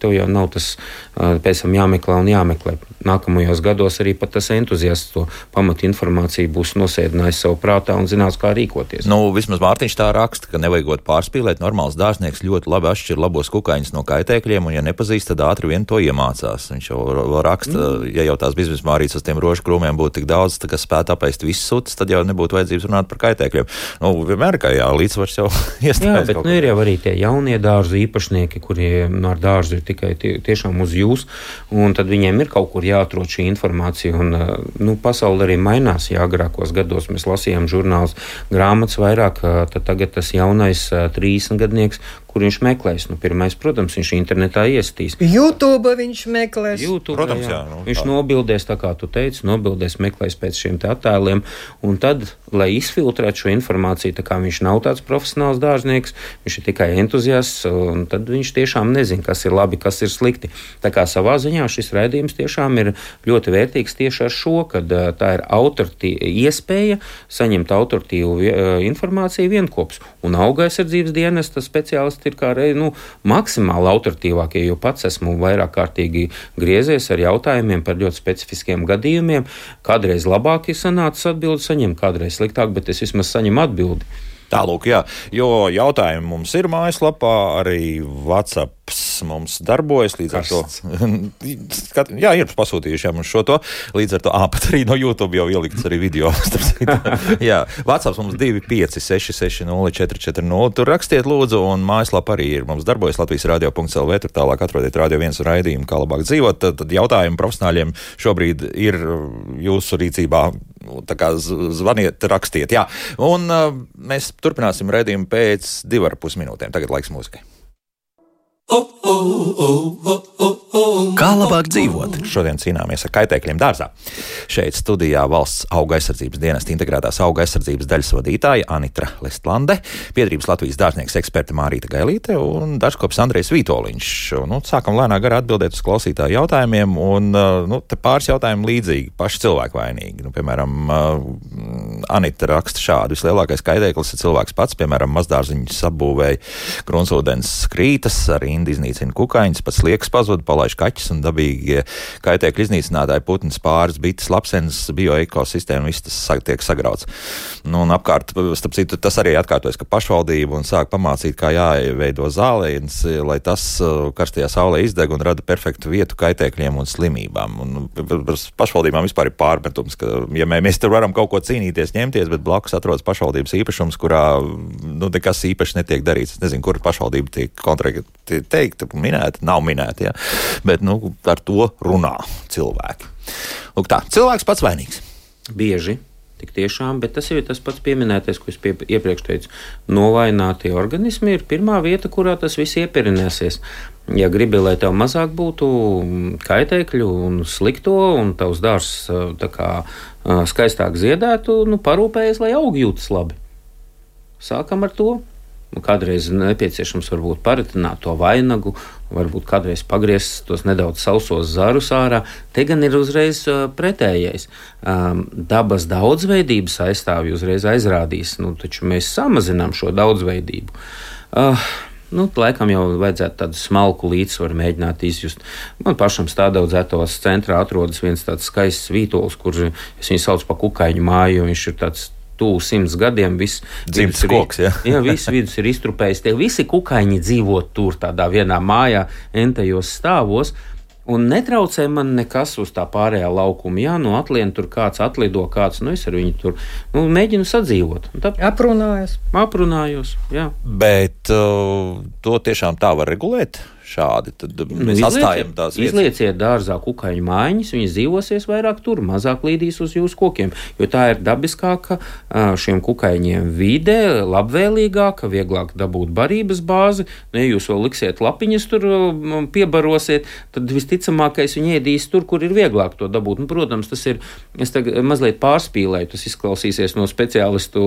tev jau nav tas pēc tam jāmeklē un jāmeklē. Nākamajos gados arī pat tas entuziasts to pamatu informāciju būs nosēdinājis savu prātā un zinās, kā rīkoties. Nu, vismaz Mārtiņš tā raksta, ka nevajagot pārspīlēt, normāls dārznieks ļoti labi atšķir labos kukaiņus no kaitēkļiem, un ja nepazīst, tad ātri vien to iemācās. Viņš jau raksta, mm. ja jau tās biznes mārītas uz tiem rožu krūmiem būtu tik daudz, tā, ka spētu apēst visus sutas, tad jau nebūtu vajadzības runāt par kaitēkļiem. Nu, vienmēr, kā jā, līdzsvars jau iestājas. Jā, bet nu, ir jau arī tie jaunie dārzu īpašnieki, kuriem ar dārzu ir tikai tie, tiešām uz jūs, un tad viņiem ir kaut kur jāatrod šī informācija, un nu, pasaule arī mainās. Jā, agrākos gados mēs lasījām žurnālus, grāmatas vairāk, tad tagad tas jaunais trīsdesmitgadnieks, kur viņš meklēs. Nu, pirmais, protams, viņš internetā iestīs. YouTube viņš meklēs. YouTube, protams, jā. jā nu, viņš nobildēs, tā kā tu teici, nobildēs, meklēs pēc šiem te attēliem, un tad, lai izfiltrētu šo informāciju, tā kā viņš nav tāds profesionāls dārznieks, viņš ir tikai entuziasts, un tad viņš tiešām nezina, kas ir labi, kas ir slikti. Tā kā savā ziņā šis raidījums tiešām ir ļoti vērtīgs tieši ar šo, kad tā ir autoritīva iespēja saņemt autoritīvu informāciju vienkops, un auga aizsardzības dienesta speciālisti ir kā reiz, nu, maksimāli autoritīvākie, jo pats esmu vairāk kārtīgi griezies ar jautājumiem par ļoti specifiskiem gadījumiem. Kādreiz labāk ir sanācis atbildi saņemt, kādreiz sliktāk, bet es vismaz saņemu atbildi. Tālūk, jā, jo jautājumi mums ir mājaslapā, arī WhatsApp mums darbojas, līdz ar to, jā, ir pasūtījuši jā, mums šo to, līdz ar to, ā, pat arī no YouTube jau ielikts arī video. Jā, WhatsApp mums divi pieci seši seši nulle četri četri nulle, tur rakstiet lūdzu, un mājaslapa arī ir mums darbojas Latvijas radio punkts el vē, tur tālāk atrodiet Radio viens raidījumu, kā labāk dzīvot, tad, tad jautājumi profesionāļiem šobrīd ir jūsu rīcībā, tā kā zvaniet, rakstiet, jā, un uh, mēs turpināsim raidījumu pēc divu ar pus minūtēm, tagad laiks mūzikai. Kā labāk dzīvot? Šodien cīnāmies ar kaitēkļiem dārzā. Šeit studijā valsts auga aizsardzības dienesta integrētās auga aizsardzības daļas vadītāja Anitra Lestlande, Biedrības Latvijas dārznieks eksperte Mārīta Gailīte un daržkops Andrejs Vītoliņš. Nu, sākam lēnā garā atbildēt uz klausītāju jautājumiem, un nu, te pāris jautājumi līdzīgi, paši cilvēku vainīgi. Nu, piemēram, Anita raksta šādu: vislielākais kaitēklis ir cilvēks pats, piemēram, mazdārziņus apbūvēja, gruntsūdens krītas, arī indi iznīcina kukaiņus, pats liekas pazud, palaiž kaķis un dabīgie kaitēkļu iznīcinātāji, putns, pāris, bites, lapsenes, bioekosistēma, viss tas tiek sagrauts. Nu, un apkārt, starp citu, tas arī atkārtojas, ka pašvaldība un sāk pamācīt, kā jāveido zālēns, lai tas karstajā saulē izdeg un rada perfektu vietu kaitēkļiem un slimībām. Un pašvaldībām vispār ir pārmetums, ka, ja mēs tur varam kaut ko cīnīties, ņemties, bet blakus atrodas pašvaldības īpašums, kurā nu, nekas īpaši netiek darīts. Es nezinu, kur pašvaldība tiek konkrēti teikta, minēta, nav minēta, ja? Bet nu, ar to runā cilvēki. Lūk tā, cilvēks pats vainīgs. Bieži, tik tiešām, bet tas jau ir tas pats pieminētais, ko es pie, iepriekš teicu. Novainātie organismi ir pirmā vieta, kurā tas viss ieperinēsies. Ja gribi, lai tev mazāk būtu kaitēkļu un slikto, un tavs dārzs tā kā skaistāk ziedētu, nu parūpējies, lai augi jūtas labi. Sākam ar to. Nu, kādreiz nepieciešams varbūt paritināt to vainagu, varbūt kādreiz pagriezt tos nedaudz sausos zarus ārā. Te gan ir uzreiz uh, pretējais. Um, dabas daudzveidības aizstāvji uzreiz aizrādīs, nu, taču mēs samazinām šo daudzveidību. Uh, Nu, laikam jau vajadzētu tādu smalku līdzsvaru mēģināt izjust. Man pašam stādaudzētos centrā atrodas viens tāds skaists vītols, kur es viņu saucu pa kukaiņu māju, jo viņš ir tāds tuvu simts gadiem. Dzimts koks, jā. Jā, viss vidus ir iztrupējis. Tie visi kukaiņi dzīvo tur tādā vienā mājā, entajos stāvos. Un netraucē man nekas uz tā pārējā laukuma. Jā, nu atlien tur kāds atlido, kāds, nu es ar viņu tur nu, mēģinu sadzīvot. Tā, Aprunājos. Aprunājos, jā. Bet uh, to tiešām tā var regulēt? Šādi, tad mēs nu, atstājam tās vietas. Izlieciet dārzā kukaiņu mājiņas, viņas dzīvosies vairāk tur, mazāk līdīs uz jūsu kokiem, jo tā ir dabiskāka šiem kukaiņiem vide, labvēlīgāka, vieglāk dabūt barības bāzi. Nu, ja jūs vēl liksiet lapiņas tur, piebarosiet, tad visticamākais viņi ēdīs tur, kur ir vieglāk to dabūt. Nu, protams, tas ir, es tagad mazliet pārspīlēju, tas izklausīsies no speciālistu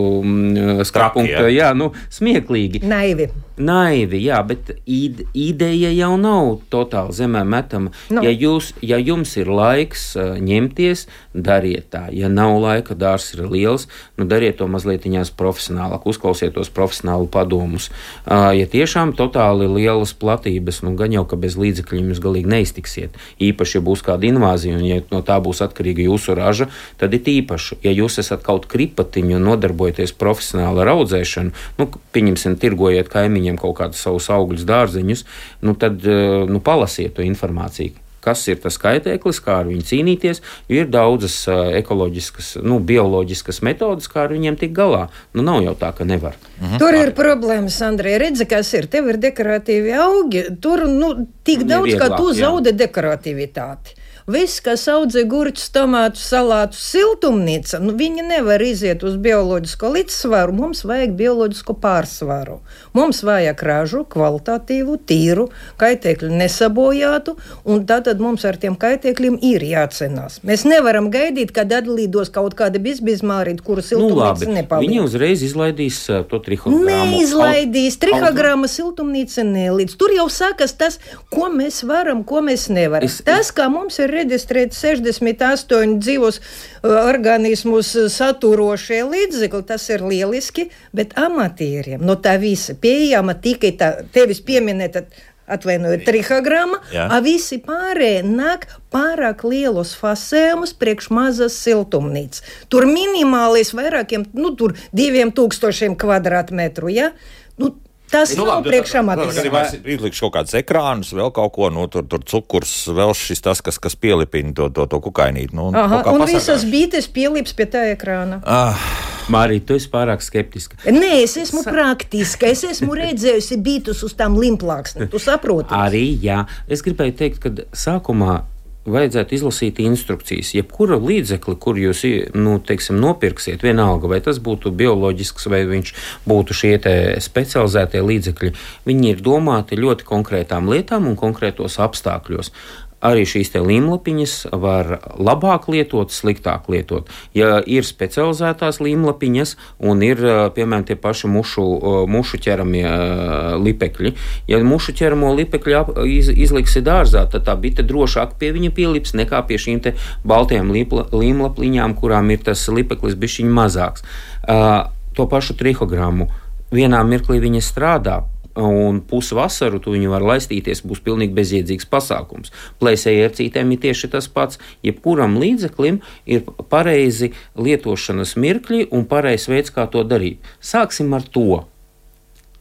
skatu punkta, jā, nu, smieklīgi. Naivi. Naivi, jā, bet ide, ideja jau nav totāli zemē metama. No. Ja, jūs, ja jums ir laiks uh, ņemties, dariet tā. Ja nav laika, dārs ir liels, nu dariet to mazlietiņās profesionālāk, uzklausiet tos profesionālu padomus. Uh, ja tiešām totāli lielas platības, nu gan jau, ka bez līdzekļiem jūs galīgi neiztiksiet. Īpaši, ja būs kāda invāzija, un ja no tā būs atkarīga jūsu raža, tad ir īpaši. Ja jūs esat kaut kripatiņu un nodarbojaties profesionāli ar audzēšanu, nu, pieņemsim, tirgojiet kaimiņiem kaut kādus savus augļus, dārziņus, nu, tad nu, palasiet to informāciju, kas ir tas kaitēklis, kā ar viņu cīnīties, jo ir daudzas uh, ekoloģiskas, nu, bioloģiskas metodas, kā ar viņiem tikt galā. Nu, nav jau tā, ka nevar. Mhm. Tur ir problēmas, Andrej, redzi, kas ir. Tev ir dekoratīvi augi, tur, nu, tik daudz, Nevieglāk, ka tu jā. zaudi dekorativitāti. Viss, kas audzē gurķus, tomātus, salātus, siltumnīca, nu, viņi nevar iziet uz bioloģisko līdzsvaru. Mums vajag bioloģisko pārsvaru. Mums vajag ražu, kvalitatīvu, tīru, kaitēkļu nesabojātu, un tātad mums ar tiem kaitēkļiem ir jācenās. Mēs nevaram gaidīt, kad atlidos kaut kāda bizbizmārīta, kuru siltumnīca nu, nepaliek. Viņi uzreiz izlaidīs uh, to trihogrammu. Neizlaidīs, trihogramma siltumnīca nelīdz. Tur jau sākas tas, ko mēs varam, ko mēs nevaram. Es, tas, kā mums ir reģistrēt sešdesmit astoņi dzīvos uh, organismus saturošie līdzekļi, tas ir lieliski, bet amatieriem no tā visa pieejama tikai tā tevis pieminēta atvainojiet, trihogramma, a visi pārējie nāk pārāk lielos fasējumus priekš mazas siltumnīcas. Tur minimālis vairākiem, nu, tur diviem tūkstošiem kvadrātmetru, ja? Nu, tas nu, nav priekšamatīs. Izlikšu kaut kādus ekrānus, vēl kaut ko, nu, tur, tur cukurs, vēl šis tas, kas, kas pielipina to, to, to kukainīti. Nu, Aha, un pasargāšu. Visas bītes pielips pie tā ekrāna. Ah. Mārija, tu esi pārāk skeptiska. Nē, es esmu praktiska. Es esmu redzējusi bītus uz tām limplāksnēm. Tu saproti? Arī, jā. Es gribēju teikt, ka sākumā vajadzētu izlasīt instrukcijas. Jebkura līdzekli, kur jūs, nu, teiksim, nopirksiet, vienalga, vai tas būtu bioloģisks, vai viņš būtu šie te specializētie līdzekļi, viņi ir domāti ļoti konkrētām lietām un konkrētos apstākļos. Arī šīs te līmlapiņas var labāk lietot, sliktāk lietot. Ja ir specializētās līmlapiņas un ir, piemēram, tie paši mušu, mušu ķeramie lipekļi, ja mušu ķeramo lipekļi iz, izliksi dārzā, tad tā bite drošāk pie viņa pielips nekā pie šīm te baltajām līmlapiņām, kurām ir tas lipeklis bišķiņ mazāks. To pašu trihogrammu. Vienā mirklī viņa strādā, un pusvasaru tu viņu var laistīties, būs pilnīgi bezjēdzīgs pasākums. Plēsēji ar cītēm ir tieši tas pats. Jebkuram līdzeklim ir pareizi lietošanas mirkļi un pareizs veids, kā to darīt. Sāksim ar to.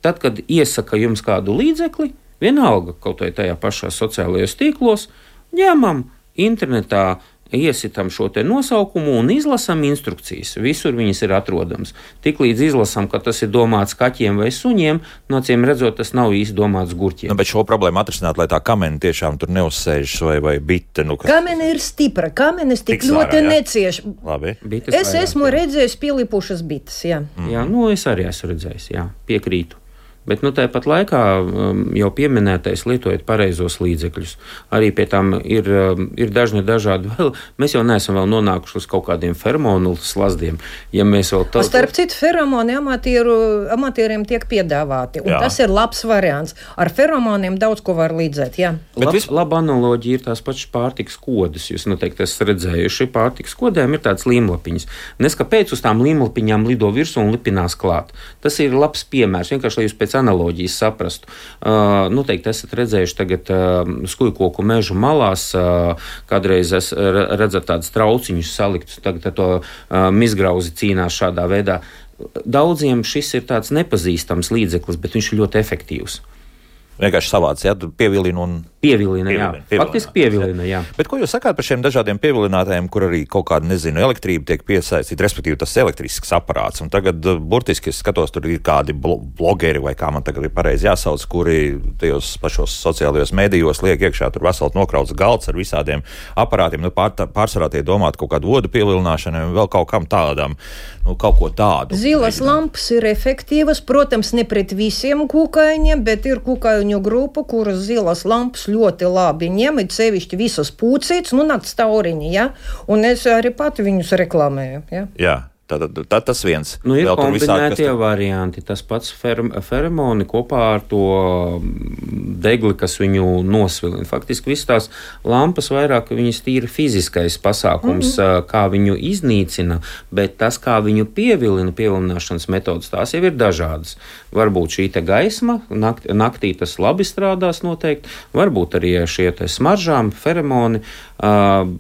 Tad, kad iesaka jums kādu līdzekli, vienalga kaut vai tajā pašā sociālajos tīklos, ņemam internetā, iesitam šo te nosaukumu un izlasam instrukcijas. Visur viņas ir atrodams. Tiklīdz izlasam, ka tas ir domāts kaķiem vai suņiem, no acīm redzot, tas nav īsti domāts gurķiem. Nu, bet šo problēmu atrisināt, lai tā kamene tiešām tur neuzsēžas vai, vai bite. Nu, kas... Kamene ir stipra, kamenes tik Tiks ļoti necieš. Labi. Bites es vairāk, esmu jā. redzējis pielipušas bites, jā. Mm. Jā, nu es arī esmu redzējis, jā, piekrītu. Bet nu, tāpat laikā jau pieminētais lietojot pareizos līdzekļus. Arī pie tām ir, ir dažni dažādi vēl. Mēs jau neesam vēl nonākuši uz kaut kādiem feromonu slazdiem. Ja mēs vēl tā... Starp citu, feromoni amatieru, amatieriem tiek piedāvāti. Un jā. Tas ir labs variants. Ar feromoniem daudz ko var līdzēt, jā. Lab, vis... Laba analoģija ir tās pašas pārtikas kodas. Jūs noteikti esat redzējuši. Pārtikas kodēm ir tādas līmlapiņas. Nes kāpēc uz tām līmlapiņām lido virsū un lipinās klāt. Tas ir labs piemērs. Vienkārši, lai jūs pēc analoģijas saprastu. Uh, noteikti esat redzējuši tagad uh, skujkoku mežu malās, uh, kādreiz es redzat tādus trauciņus saliktus, tagad ar to uh, mizgrauzi cīnās šādā veidā. Daudziem šis ir tāds nepazīstams līdzeklis, bet viņš ir ļoti efektīvs. Vienkārši savāds, ja, pievilina un... Pievilina, jā. Pievilina, faktiski pievilina, jā. Bet ko jūs sakāt par šiem dažādiem pievilinātājiem, kur arī kaut kāda, nezinu, elektrība tiek piesaistīta, respektīvi tas elektrisks aparāts, un tagad burtiski es skatos, tur ir kādi blogeri, vai kā man tagad ir pareizi jāsauc, kuri tajos pašos sociālajos medijos liek iekšā tur vesels nokrauts galds ar visādiem aparātiem, nu pār, pārsvarā tie domāt kaut kādu vodu pievilināšanai un vēl kaut kam tādam, nu kaut ko tādu. Zilas lampas ir efektīvas, protams, ne pret visiem kukaiņiem, bet ir kukaiņu grupa, kuras zilas lampas ļoti labi ņem, it sevišķi visas pūcītes, nu nakts tauriņi, ja? Un es arī pati viņus reklamēju, ja? Jā. Tad, tad tas viens. Nu, ir kombinētie visādi, varianti. Tas pats feromoni kopā ar to degli, kas viņu nosvilina. Faktiski visas tās lampas vairāk viņas tīri fiziskais pasākums, mm-hmm. kā viņu iznīcina, bet tas, kā viņu pievilina, pievilināšanas metodas, tās jau ir dažādas. Varbūt šī te gaisma, nakt, naktī tas labi strādās noteikti, varbūt arī šie te smaržām, feromoni, uh,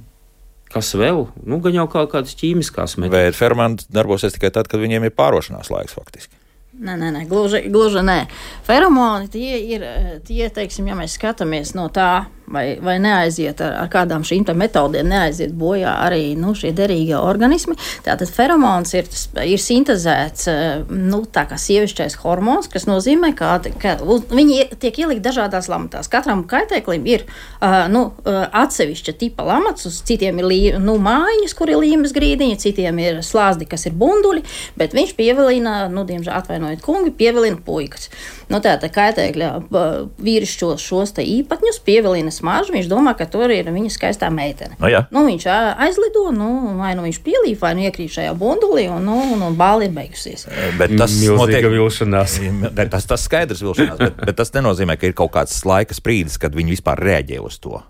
kas vēl? Nu, gan jau kaut kādas ķīmiskās metodas. Vai feromoni darbosies tikai tad, kad viņiem ir pārošanās laiks faktiski? Nē, nē, nē, gluži, gluži nē. Feromoni tie ir, tie, teiksim, ja mēs skatāmies no tā, vai, vai neaiziet ar, ar kādām šīm metodēm, neaiziet bojā arī nu, šie derīgie organismi. Tātad feromons ir, ir sintezēts, nu, tā kā sievišķais hormons, kas nozīmē, ka, ka viņi tiek ielikt dažādās lamatās. Katram kaitēklim ir uh, nu, atsevišķa tipa lamats, uz citiem ir lī, nu, mājiņas, kur ir līmes grīdiņa, citiem ir slāzdi, kas ir bunduļi, bet viņš pievilina, nu, diemžēl atvainojiet kungi, pievilina puikas. Nu, tātad kaitēkļa vīrišķos šos te īpatņus pievilina smaržu, viņš domā, ka tur ir viņa skaistā meitene. No, nu, viņš aizlido, nu, vai nu viņš pielīp, vai nu iekrīt šajā bundulī, un, nu, un, un bāli ir beigusies. Bet tas milzīga vilšanās. tas, tas skaidrs vilšanās, bet, bet tas nenozīmē, ka ir kaut kāds laika sprīdis, kad viņi vispār reaģē uz to.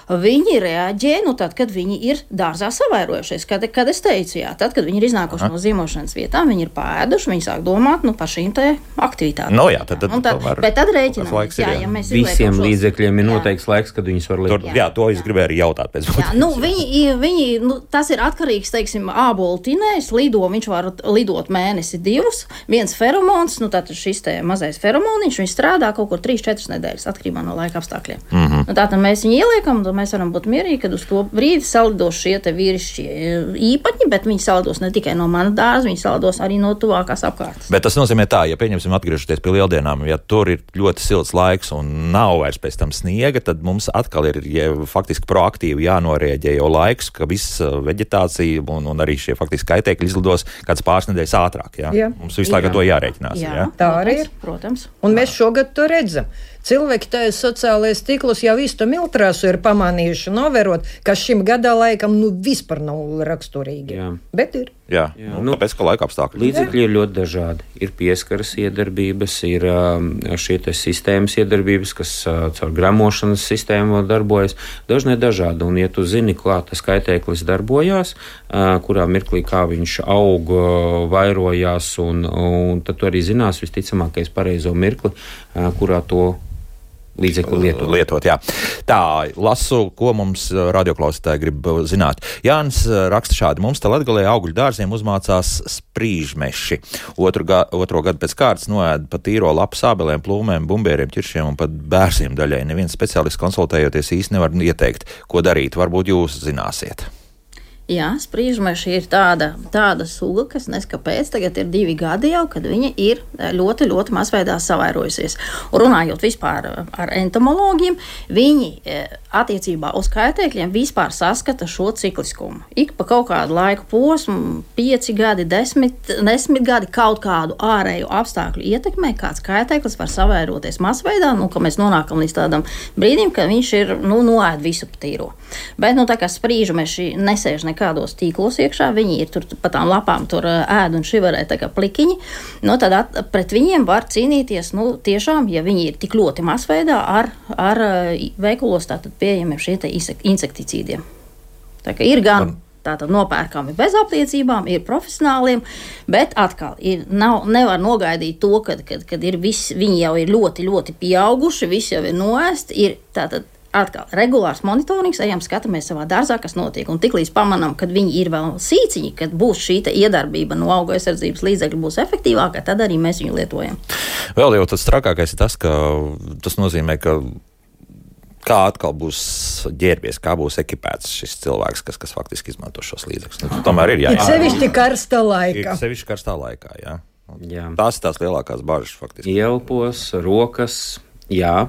Viņi reaģē, nu tad, kad viņi ir dārzā savairojušies. Kad, kad es teicu, jā, tad, kad viņi ir iznākuši Aha. no zīmošanas vietām, viņi ir pēduši, viņi sāk domāt nu, par šīm te aktivitātēm. No jā, tad, tad, tad, tomēr, bet tad rēķinām, jā, ja mēs visiem šos, līdzekļiem ir noteikts laiks, kad viņus var lietot. Jā, jā, to es gribēju arī jautāt pēc būtības. Nu, viņi, viņi, nu, tas ir atkarīgs, teiksim, ābolu tinējs, lido, viņš var lidot mēnesi divus, viens feromons, nu tātad šis te mazais feromoniņš, viņš strādā kaut kur trīs četras nedēļas, atkarībā no laika apstākļiem. Mm-hmm. Nu, tātad mēs viņu ieliekam, un mēs varam būt mierīgi, kad uz to brīdi salidos šie te vīrišķie īpaņi, bet viņi salidos ne tikai no mana dārza, viņi salidos arī no tuvākās apkārtnes. Bet tas nozīmē tā, ja pieņemsim atgriežoties pie lieldienām, ja tur ir ļoti silts laiks un nav vairs pēc tam sniega, tad mums atkal ir ja, faktiski proaktīvi jānorēģē jau laiks, ka viss veģetācija un, un arī šie faktiski kaitēkļi izlidos kāds pāris nedēļas ātrāk. Ja? Jā. Mums visu laiku ar to jārēķinās. Jā, ja? Tā arī ir. Protams. Un mēs šogad to redzam. Cilvēki tajos sociālajos tīklos jau visu to miltrāsu ir pamanījuši, novērot, ka šim gadā laikam nu vispār nav raksturīgi. Jā. Bet ir. Jā, Jā. Nu, tāpēc, ka laika apstākļi. Līdzekļi ir ļoti dažādi. Ir pieskaras iedarbības, ir šie te sistēmas iedarbības, kas caur gremošanas sistēmu darbojas. Dažne dažādi. Un, ja tu zini, kā tas kaitēklis darbojās, kurā mirklī kā viņš aug, vairojās, un, un tad tu arī zinās visticamākais pareizo mirkli, kurā to līdzekļu lietot. lietot jā. Tā, lasu, ko mums radioklausītāji grib zināt. Jānis raksta šādi. Mums te Latgalē augļu dārziem uzmācās sprīžmeši. Otru, ga, otro gadu pēc kārtas noēda pa tīro lapu sābelēm, plūmēm, bumbieriem, ķiršiem un pat bērsiem daļai. Neviens speciālists konsultējoties īsti nevar ieteikt, ko darīt. Varbūt jūs zināsiet. Jā, sprīžmeši ir tāda, tāda suga, kas neskapēc tagad ir divi gadi jau, kad viņa ir ļoti, ļoti mazveidā savairojusies. Un runājot vispār ar entomologiem, viņi attiecībā uz kaitēkļiem vispār saskata šo cikliskumu. Ik pa kaut kādu laiku posmu, pieci gadi, desmit, desmit gadi kaut kādu ārēju apstākļu ietekmē, kāds kaitēklis var savairoties mazveidā, nu, ka mēs nonākam līdz tādam brīdim, ka viņš ir, nu, noēd visu patīro. Bet, nu, tā kā sprīžmeši nesēž nekādos tīklos iekšā, viņi ir tur pa tām lapām tur ēd un šivarē tā kā plikiņi, nu, tad at, pret viņiem var cīnīties, nu, tiešām, ja viņi ir tik ļoti masveidā ar, ar veikulos tātad pieejamiem šie te insekticīdiem. Tā kā ir gan tātad nopērkami bez apliecībām, ir profesionāliem, bet atkal ir, nav, nevar nogaidīt to, kad, kad, kad ir viss, viņi jau ir ļoti, ļoti pieauguši, viss jau ir noēst, ir tātad atkal regulārs monitorings, ejam skatāmies savā dārzā, kas notiek, un tiklīdz pamanām, kad viņi ir vēl sīciņi, kad būs šī iedarbība no auga aizsardzības līdzekļu būs efektīvāka, tad arī mēs viņu lietojam. Vēl jau tas trakākais ir tas, ka tas nozīmē, ka kā atkal būs ģērbies, kā būs ekipēts šis cilvēks, kas, kas faktiski izmanto šos līdzekļus. Nu, tomēr ir jā. Ir sevišķi karstā laikā. Ir sevišķi karstā laikā, jā. jā. Tās ir tās lielākās bažas faktiski. Ielpos, rokas, jā.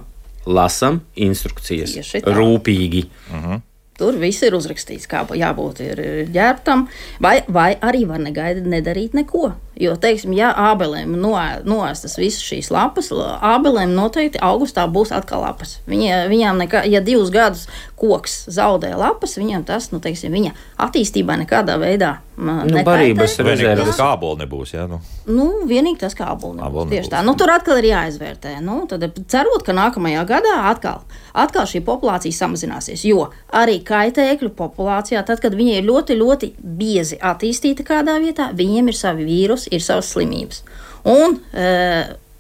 Lasam instrukcijas rūpīgi. Uh-huh. Tur viss ir uzrakstīts, kā jābūt ir ģērbtam, vai, vai arī var negaidīt nedarīt neko. Jo, teiksim, ja ābelēm noēstas visas šīs lapas, ābelēm noteikti augustā būs atkal lapas. Viņa, viņām nekā, ja divus gadus koks zaudē lapas, viņam tas, nu, teiksim, viņa attīstībā nekādā veidā nu, barības rezerves. Kā āboli nebūs, jā? Nu, nu vienīgi tas, kā āboli nebūs. Āboli tieši nebūs. Tā. Nu, tur atkal ir jāizvērtē. Nu, tad cerot, ka nākamajā gadā atkal, atkal šī populācija samazināsies, jo arī kaitēkļu populācijā, tad, kad viņi ir ļoti, ļoti biezi attīstīti kādā vietā, viņiem ir savi vīrusi, ir savas slimības. Un e,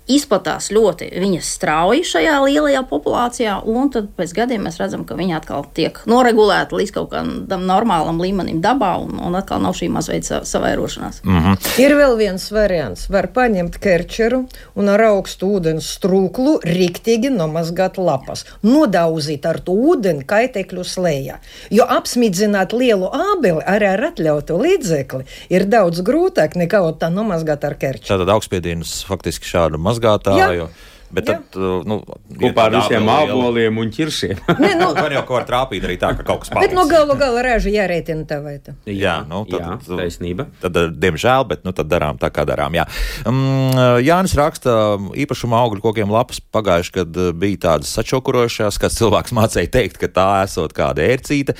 izplatās ļoti viņas strauji šajā lielajā populācijā, un tad pēc gadiem mēs redzam, ka viņi atkal tiek noregulēti līdz kaut kādam normālam līmenim dabā, un, un atkal nav šī mazveida savairošanās. Mm-hmm. Ir vēl viens variants. Var paņemt kerčeru un ar augstu ūdens strūklu riktīgi nomazgāt lapas. Nodauzīt ar to ūdeni kaitēkļu slējā. Jo apsmidzināt lielu ābeli arī ar atļautu līdzekli ir daudz grūtāk nekā tā nomazgāt ar kerčeru. Tātad augstspiedienus faktiski šādu mazgātāju. Bet jā. Tad, nu, kopā ar visiem āboliem un ķiršiem. Ne, nu, man jau kaut kā trāpīt arī tā, ka kaut kas paliks. Bet no galu gala raža jārēķina tā vai tā. Jā, nu, tad, jā, taisnība. Tad, diemžēl, bet nu, tad darām tā, kā darām. Jā. Um, Jānis raksta, īpašuma augļu kokiem lapas pagājuši, kad bija tādas sačokurošās, kāds cilvēks mācēja teikt, ka tā esot kāda ērcīte,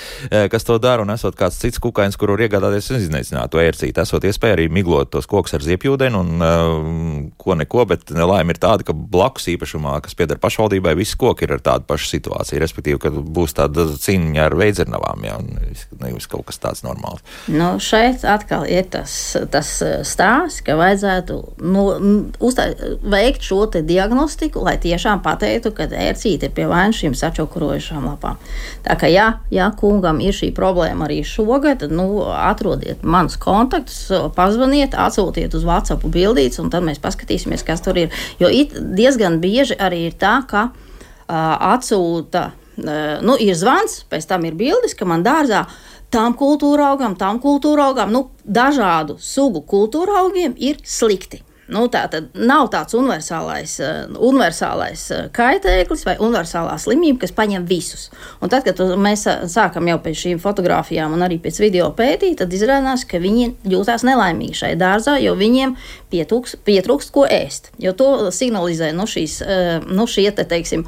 kas to dara, un esot kāds cits kukains, kur var iegādāties un izneicināt to ērcīti. Esot iespēja arī miglot tos kokus ar ziepjūdeni un uh, ko neko, bet nelaime ir tāda, ka blakus lauks īpašumā, kas pieder pašvaldībai, visi koki ir ar tādu pašu situāciju, respektīvi, ka būs tāda cīņa ar veidzirnavām, ja, un nevis kaut kas tāds normāls. Nu, šeit atkal ir tas, tas stāsts, ka vajadzētu nu, uztā, veikt šo te diagnostiku, lai tiešām pateiktu, ka ērcīte ir pie vainas šīm sačokurojušām lapām. Tā kā, ja, ja kungam ir šī problēma arī šogad, tad, nu, atrodiet manus kontaktus, pazvaniet, atsūtiet uz WhatsApp bildītes, un tad mēs paskatīsimies, kas tur ir. Jo it diezgan bieži arī ir tā, ka uh, atsūta, uh, nu, ir zvans, pēc tam ir bildes, ka man dārzā tām kultūra augam, tām kultūra augam, nu, dažādu sugu kultūra augiem ir slikti. Nu, tā tad nav tāds universālais, uh, universālais uh, kaitēklis vai universālā slimība, kas paņem visus. Un tad, kad mēs sākam jau pēc šīm fotogrāfijām un arī pēc video pētīt, tad izrādās, ka viņi jūtās nelaimīgi šai dārzā, jo viņiem pietrūkst, pietrūkst ko ēst. Jo to signalizē nu, šīs, uh, nu, šie te, teiksim,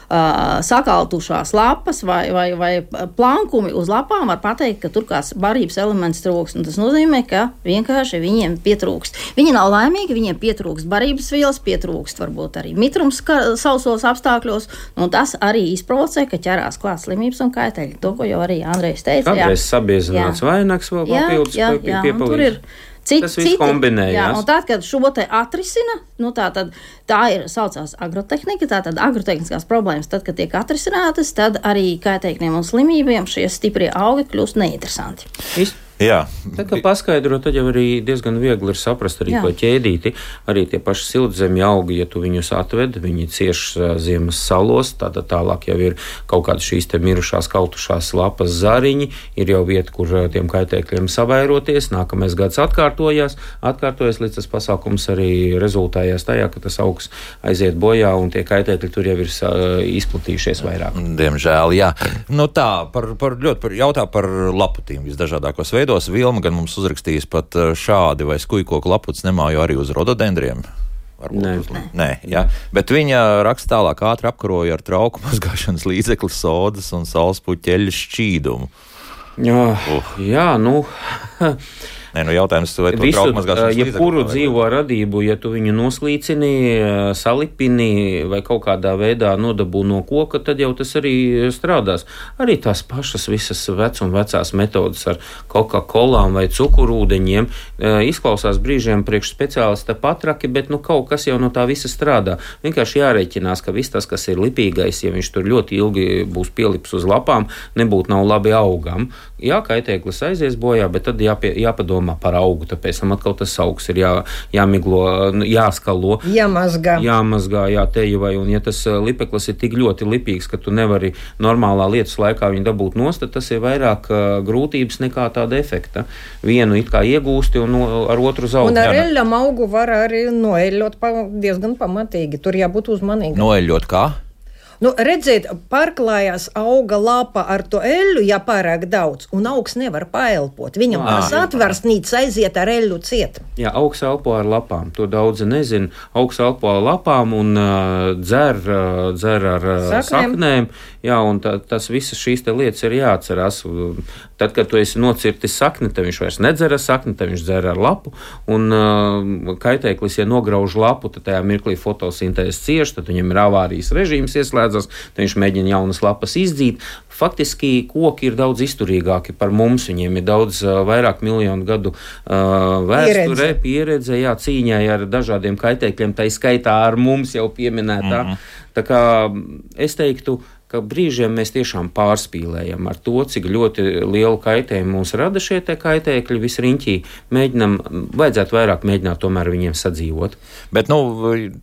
Uh, sakaltušās lapas vai, vai, vai plankumi uz lapām var pateikt, ka tur kāds barības elements trūkst. Un tas nozīmē, ka vienkārši viņiem pietrūkst. Viņi nav laimīgi, viņiem pietrūkst barības vielas, pietrūkst varbūt arī mitrums sausos apstākļos. Un tas arī izprovocē, ka ķerās klāt slimības un kaiteļi. To, ko jau arī Andrejs teica. Kādreiz sabiezināts vainags vēl papildus piepalīdz. Cik, tas viss kombinējās. Jā, un tad, kad šo te atrisina, nu tā tad tā ir saucās agrotehnika, tā tad agrotehniskās problēmas, tad, kad tiek atrisinātas, tad arī kaitēkļiem un slimībiem šie stiprie augi kļūst neinteresanti. Ist? Jā. Tad, kad paskaidro, tad jau arī diezgan viegli ir saprast arī Jā. To ķēdīti. Arī tie paši siltzemju augi, ja tu viņus atved, viņi cieš ziemas salos, tad tālāk jau ir kaut kādas šīs te mirušās, kautušās lapas zariņi, ir jau vieta, kur tiem kaitēkļiem savairoties, nākamais gads atkārtojās, atkārtojas, līdz tas pasākums arī rezultējās tajā, ka tas augs aiziet bojā un tie kaitēkļi tur jau ir izplatījušies vairāk. Diemžēl, jā. Nu tā, par, par, ļoti par, jautā par laputīm visdažādākos veidos. Vilma gan mums uzrakstījis pat šādi, vai skujkoku laputs nemājo arī uz rododendriem. Varbūt Nē. Uz, nē, jā. Bet viņa raksta tālāk ātri apkaroja ar trauku mazgāšanas līdzekli sodas un saulespuķeļu šķīdumu. Jā, uh. jā nu... Nē, nu jautājums, vai to Visu, trauku mazgāšanas līdzekli? Jebkuru dzīvo radību, ja tu viņu noslīcini, salipini vai kaut kādā veidā nodabū no koka, tad jau tas arī strādās. Arī tās pašas visas vec un vecās metodas ar Coca-Colām vai cukurūdeņiem izklausās brīžiem priekš speciālista patraki, bet nu kaut kas jau no tā visa strādā. Vienkārši jārēķinās, ka viss tas, kas ir lipīgais, ja viņš tur ļoti ilgi būs pielips uz lapām, nebūtu nav labi augam. Jā, kaitēklis aizies bojā, bet tad jāpie, jāpadomā par augu, tāpēc tam atkal tas augs ir jā, jāmiglo, jāskalo. Jāmazgā. Jāmazgā, jātejavai, un ja tas lipeklis ir tik ļoti lipīgs, ka tu nevari normālā lietas laikā viņu dabūt nost, tad tas ir vairāk uh, grūtības nekā tāda efekta. Vienu it kā iegūsti un no, ar otru zaudē. Un ar eļļam augu var arī noeļļot pa, diezgan pamatīgi, tur jābūt uzmanīgi. Noeļļot kā? Nu, redziet, pārklājās auga lapa ar to eļļu, ja pārāk daudz, un augs nevar paelpot. Viņam tās atversnītes aiziet ar eļļu ciet. Jā, augs elpo ar lapām, to daudzi nezin. Augs elpo ar lapām un uh, dzer, uh, dzer ar uh, saknēm. saknēm. Jā, un tā, tas visas šīs te lietas ir jāatcerās. Tad, kad tu esi nocirtis sakni, tad viņš vairs nedzer ar sakni, tad viņš dzer ar lapu. Un uh, kaitēklis, ja nograuž lapu, tad tajā mirklī fotosintēzes cieš, tad viņam ir avārijas režīms ieslēdzas, tad viņš mēģina jaunas lapas izdzīt. Faktiski koki ir daudz izturīgāki par mums, viņiem ir daudz uh, vairāk miljonu gadu uh, vēsture, pieredze, pieredze jā, cīņai ar dažādiem kaitēkļiem, tai skaitā ar mums jau pieminētā. Mm-hmm. Tā kā es teiktu, ka brīžiem mēs tiešām pārspīlējam ar to, cik ļoti lielu kaitējumu mums rada šie te kaitēkļi visriņķī. Mēģinam, vajadzētu vairāk mēģināt tomēr viņiem sadzīvot. Bet, nu,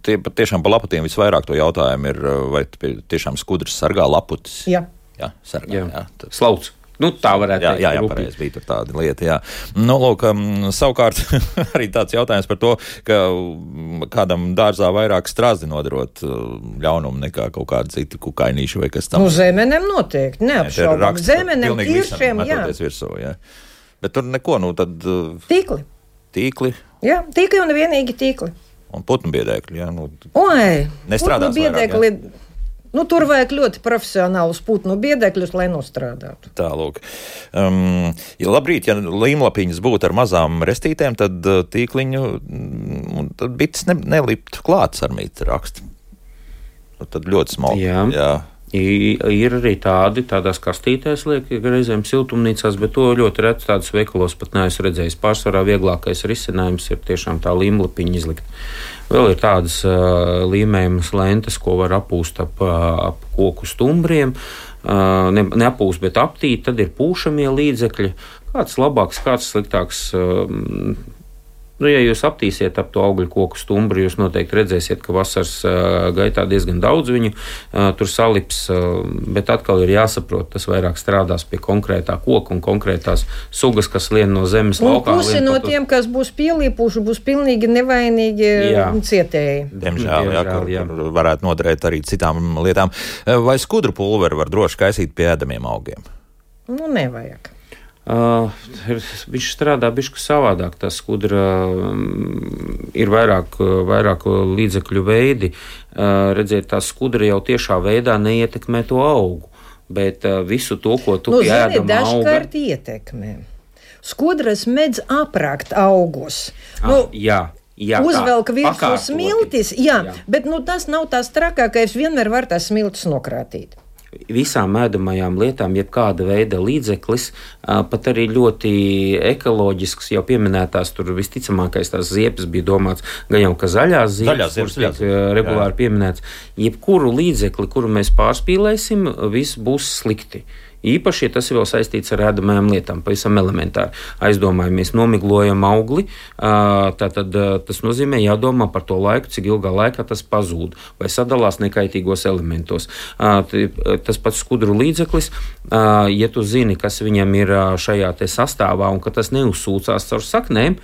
tie tiešām pa laputiem visvairāk to jautājumu ir, vai tiešām skudrs sargā laputis? Jā. Jā, sargā, jā. jā tad... Slauc. Nu, tā varētu jā, teikt. Jā, jā, pareizi bija tur tāda lieta, jā. Nu, lūk, um, savukārt arī tāds jautājums par to, ka kādam dārzā vairāk strazi nodarot ļaunumu nekā kaut kāda cita kukainīša vai kas tam. Nu, zemenem noteikti, neapšaubām. Zemenem tiršiem, jā. Virsū, jā. Bet tur neko, nu tad... Tīkli. Tīkli. Jā, tīkli un vienīgi tīkli. Un putnu biedēkļi, jā. Nu, Oi, nestrādās putnu biedēkļi... vairāk, jā. Nu, tur vajag ļoti profesionālus putnu biedekļus, lai nostrādātu. Tā, lūk. Um, ja labrīt, ja līmlapiņas būtu ar mazām restītēm, tad tīkliņu, tad bites ne, neliptu klāts ar mītu rakstu. nu, tad ļoti smalki. Jā. Jā. Ir arī tādi, tādās kastītēs liek, reizēm siltumnīcās, bet to ļoti reti tādas veikalos pat neesmu redzējis. Pārsvarā vieglākais risinājums ir tiešām tā līmlapiņa izlikt. Vēl ir tādas uh, līmējumas lentes, ko var apūst ap, ap koku stumbriem. Uh, ne, neapūst, bet aptīt, tad ir pūšamie līdzekļi. Kāds labāks, kāds sliktāks. Uh, Nu, ja jūs aptīsiet ap to augļu koku stumbru, jūs noteikti redzēsiet, ka vasaras uh, gaitā diezgan daudz viņu uh, tur salips, uh, bet atkal ir jāsaprot, tas vairāk strādās pie konkrētā koka un konkrētās sugas, kas lien no zemes un laukā. Un pusi no tiem, kas būs pielīpuši, būs pilnīgi nevainīgi jā. cietēji. Diemžēl, jā, kur, jā. kur varētu noderēt arī citām lietām. Vai skudru pulveri var droši kaisīt pie ēdamiem augiem? Nu, nevajag. Uh, viņš strādā bišķi savādāk. Tā skudra um, ir vairāk, vairāk līdzekļu veidi. Uh, redziet, tā skudra jau tiešā veidā neietekmē to augu, bet uh, visu to, ko tu nu, pieēdam auga... dažkārt ietekmē. Skudras medz aprakt augus. Ah, nu, jā. Jā, uzvelk virsū smiltis, jā, jā. bet nu, tas nav tās trakākais, vienmēr var tās smiltis nokrātīt. Visām ēdamajām lietām, jebkāda veida līdzeklis, pat arī ļoti ekoloģisks, jau pieminētās, tur visticamākais tās ziepes bija domāts, gan jau, ka zaļās ziepes, kuras tiek regulāri pieminēts, jebkuru līdzekli, kuru mēs pārspīlēsim, viss būs slikti. Īpaši, ja tas ir vēl saistīts ar ēdamajām lietām, pavisam elementāri. Aizdomājamies, nomiglojam augli, tātad tas nozīmē jādomā par to laiku, cik ilgā laikā tas pazūd vai sadalās nekaitīgos elementos. Tas pats skudru līdzeklis, ja tu zini, kas viņam ir šajā te sastāvā un ka tas neuzsūcās caur saknēm,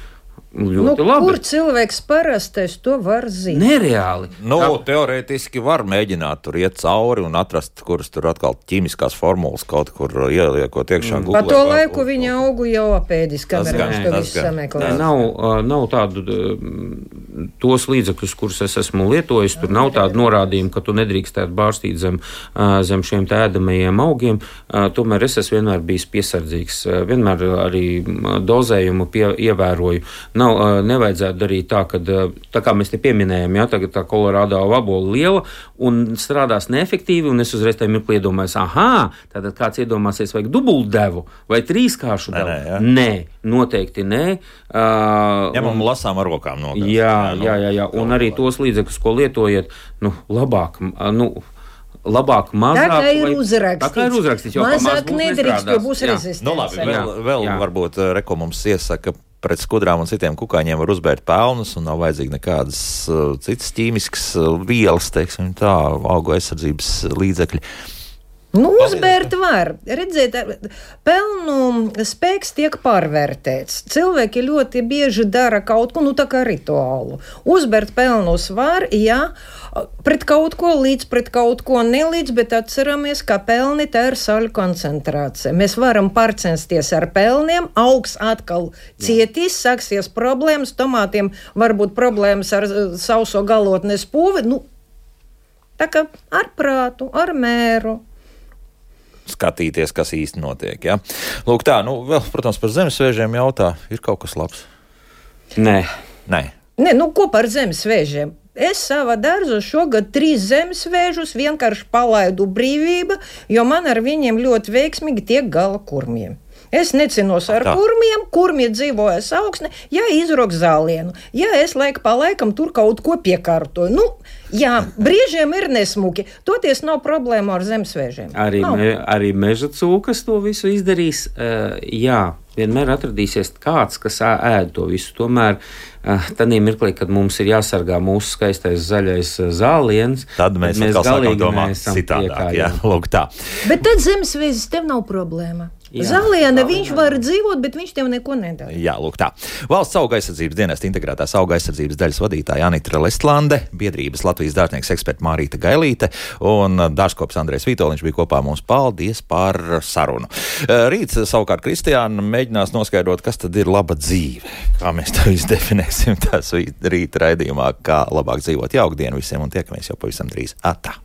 ļoti nu, labi. Kur cilvēks parastais to var zināt? Nereāli. Nu, tā... teorētiski var mēģināt tur iet cauri un atrast, kuras tur atkal ķīmiskās formulas kaut kur ieliekot iekšā. Mm. Pa to laiku viņa augu jau apēdis, kamēr viņš to visu sameklē. Nav, nav tādu tos līdzekļus, kurus es esmu lietojis, tur nav tādu norādījumu, ka tu nedrīkstētu bārstīt zem, zem šiem ēdamajiem augiem. Tomēr es esmu vienmēr bijis piesardzīgs. Vienmēr arī dozējumu pie, ievēroju. Nav, nevajadzētu darīt tā, ka tā kā mēs te pieminējam, ja, tagad tā kolorādo vabola liela un strādās neefektīvi, un es uzreiz tajā mirklī iedomājos, aha, tātad kāds iedomāsies vajag dubultdevu vai trīskāršu devu. Nē, nē, nē, noteikti nē. Uh, ja man lasām ar rokām nogās. Jā, jā, jā, jā, un arī tos līdzekļus, ko lietojiet, nu, labāk, nu, labāk, mazāk. Tā kā ir uzrakstīts. Tā kā ir uzrakstīts, jo mazāk nedrīkst, jo būs rezistence. Nu, labi, vēl, vēl varbūt Reko mums iesaka, pret skudrām un citiem kukaiņiem var uzbērt pelnus un nav vajadzīgi nekādas uh, citas ķīmiskas uh, vielas, teiksim tā, augu aizsardzības līdzekļi. Nu, uzbērt var. Redziet, pelnu spēks tiek pārvērtēts. Cilvēki ļoti bieži dara kaut ko, nu tā kā rituālu. Uzbērt pelnus var, jā, pret kaut ko līdz, pret kaut ko nelīdz, bet atceramies, ka pelni tā ir saļu koncentrācija. Mēs varam pārcensties ar pelniem, augs atkal cietīs, sāksies problēmas, tomātiem varbūt problēmas ar sauso galotnes pūvi, nu, tā kā ar prātu, ar mēru. Skatīties, kas īsti notiek. Ja? Lūk, tā, nu, vēl, protams, par zemesvēžiem jautā, ir kaut kas labs? Nē. Nē. Nē, nu, ko par zemesvēžiem? Es savā dārzā šogad trīs zemesvēžus vienkārši palaidu brīvība, jo man ar viņiem ļoti veiksmīgi tiek gala kurmiem. Es necinos ar tā. kurmiem, kurmi dzīvojas augsne, ja izrok zālienu, ja es laiku pa laikam tur kaut ko piekārtoju. Nu, jā, brīžiem ir nesmuki, toties nav problēma ar zemesvēžiem. Arī, me, arī meža cūkas to visu izdarīs, uh, jā. Vienmēr atradīsies kāds, kas ēd to visu. Tomēr tādā mirklī, kad mums ir jāsargā mūsu skaistais zaļais zāliens, tad mēs, mēs galīgi domājam citādāk. Jā, lūk tā. Bet tad zemesvēzis tev nav problēma. Jā, Zāliena viņš var dzīvot, bet viņš tev neko nedara. Jā, lūk tā. Valsts auga aizsardzības dienesta integrētās auga aizsardzības daļas vadītāja Anita Lestlande, biedrības Latvijas dārznieks eksperta Mārīta Gailīte un dārzkops Andrejs Vitoļņš bija kopā mums. Paldies par sarunu. Rīt savukārt Kristiāna mēģinās noskaidrot, kas tad ir laba dzīve. Kā mēs to izdefinēsim tās rīt raidījumā, kā labāk dzīvot. Jauku dienu visiem un tiekamies jau pavisam drīz. Atā!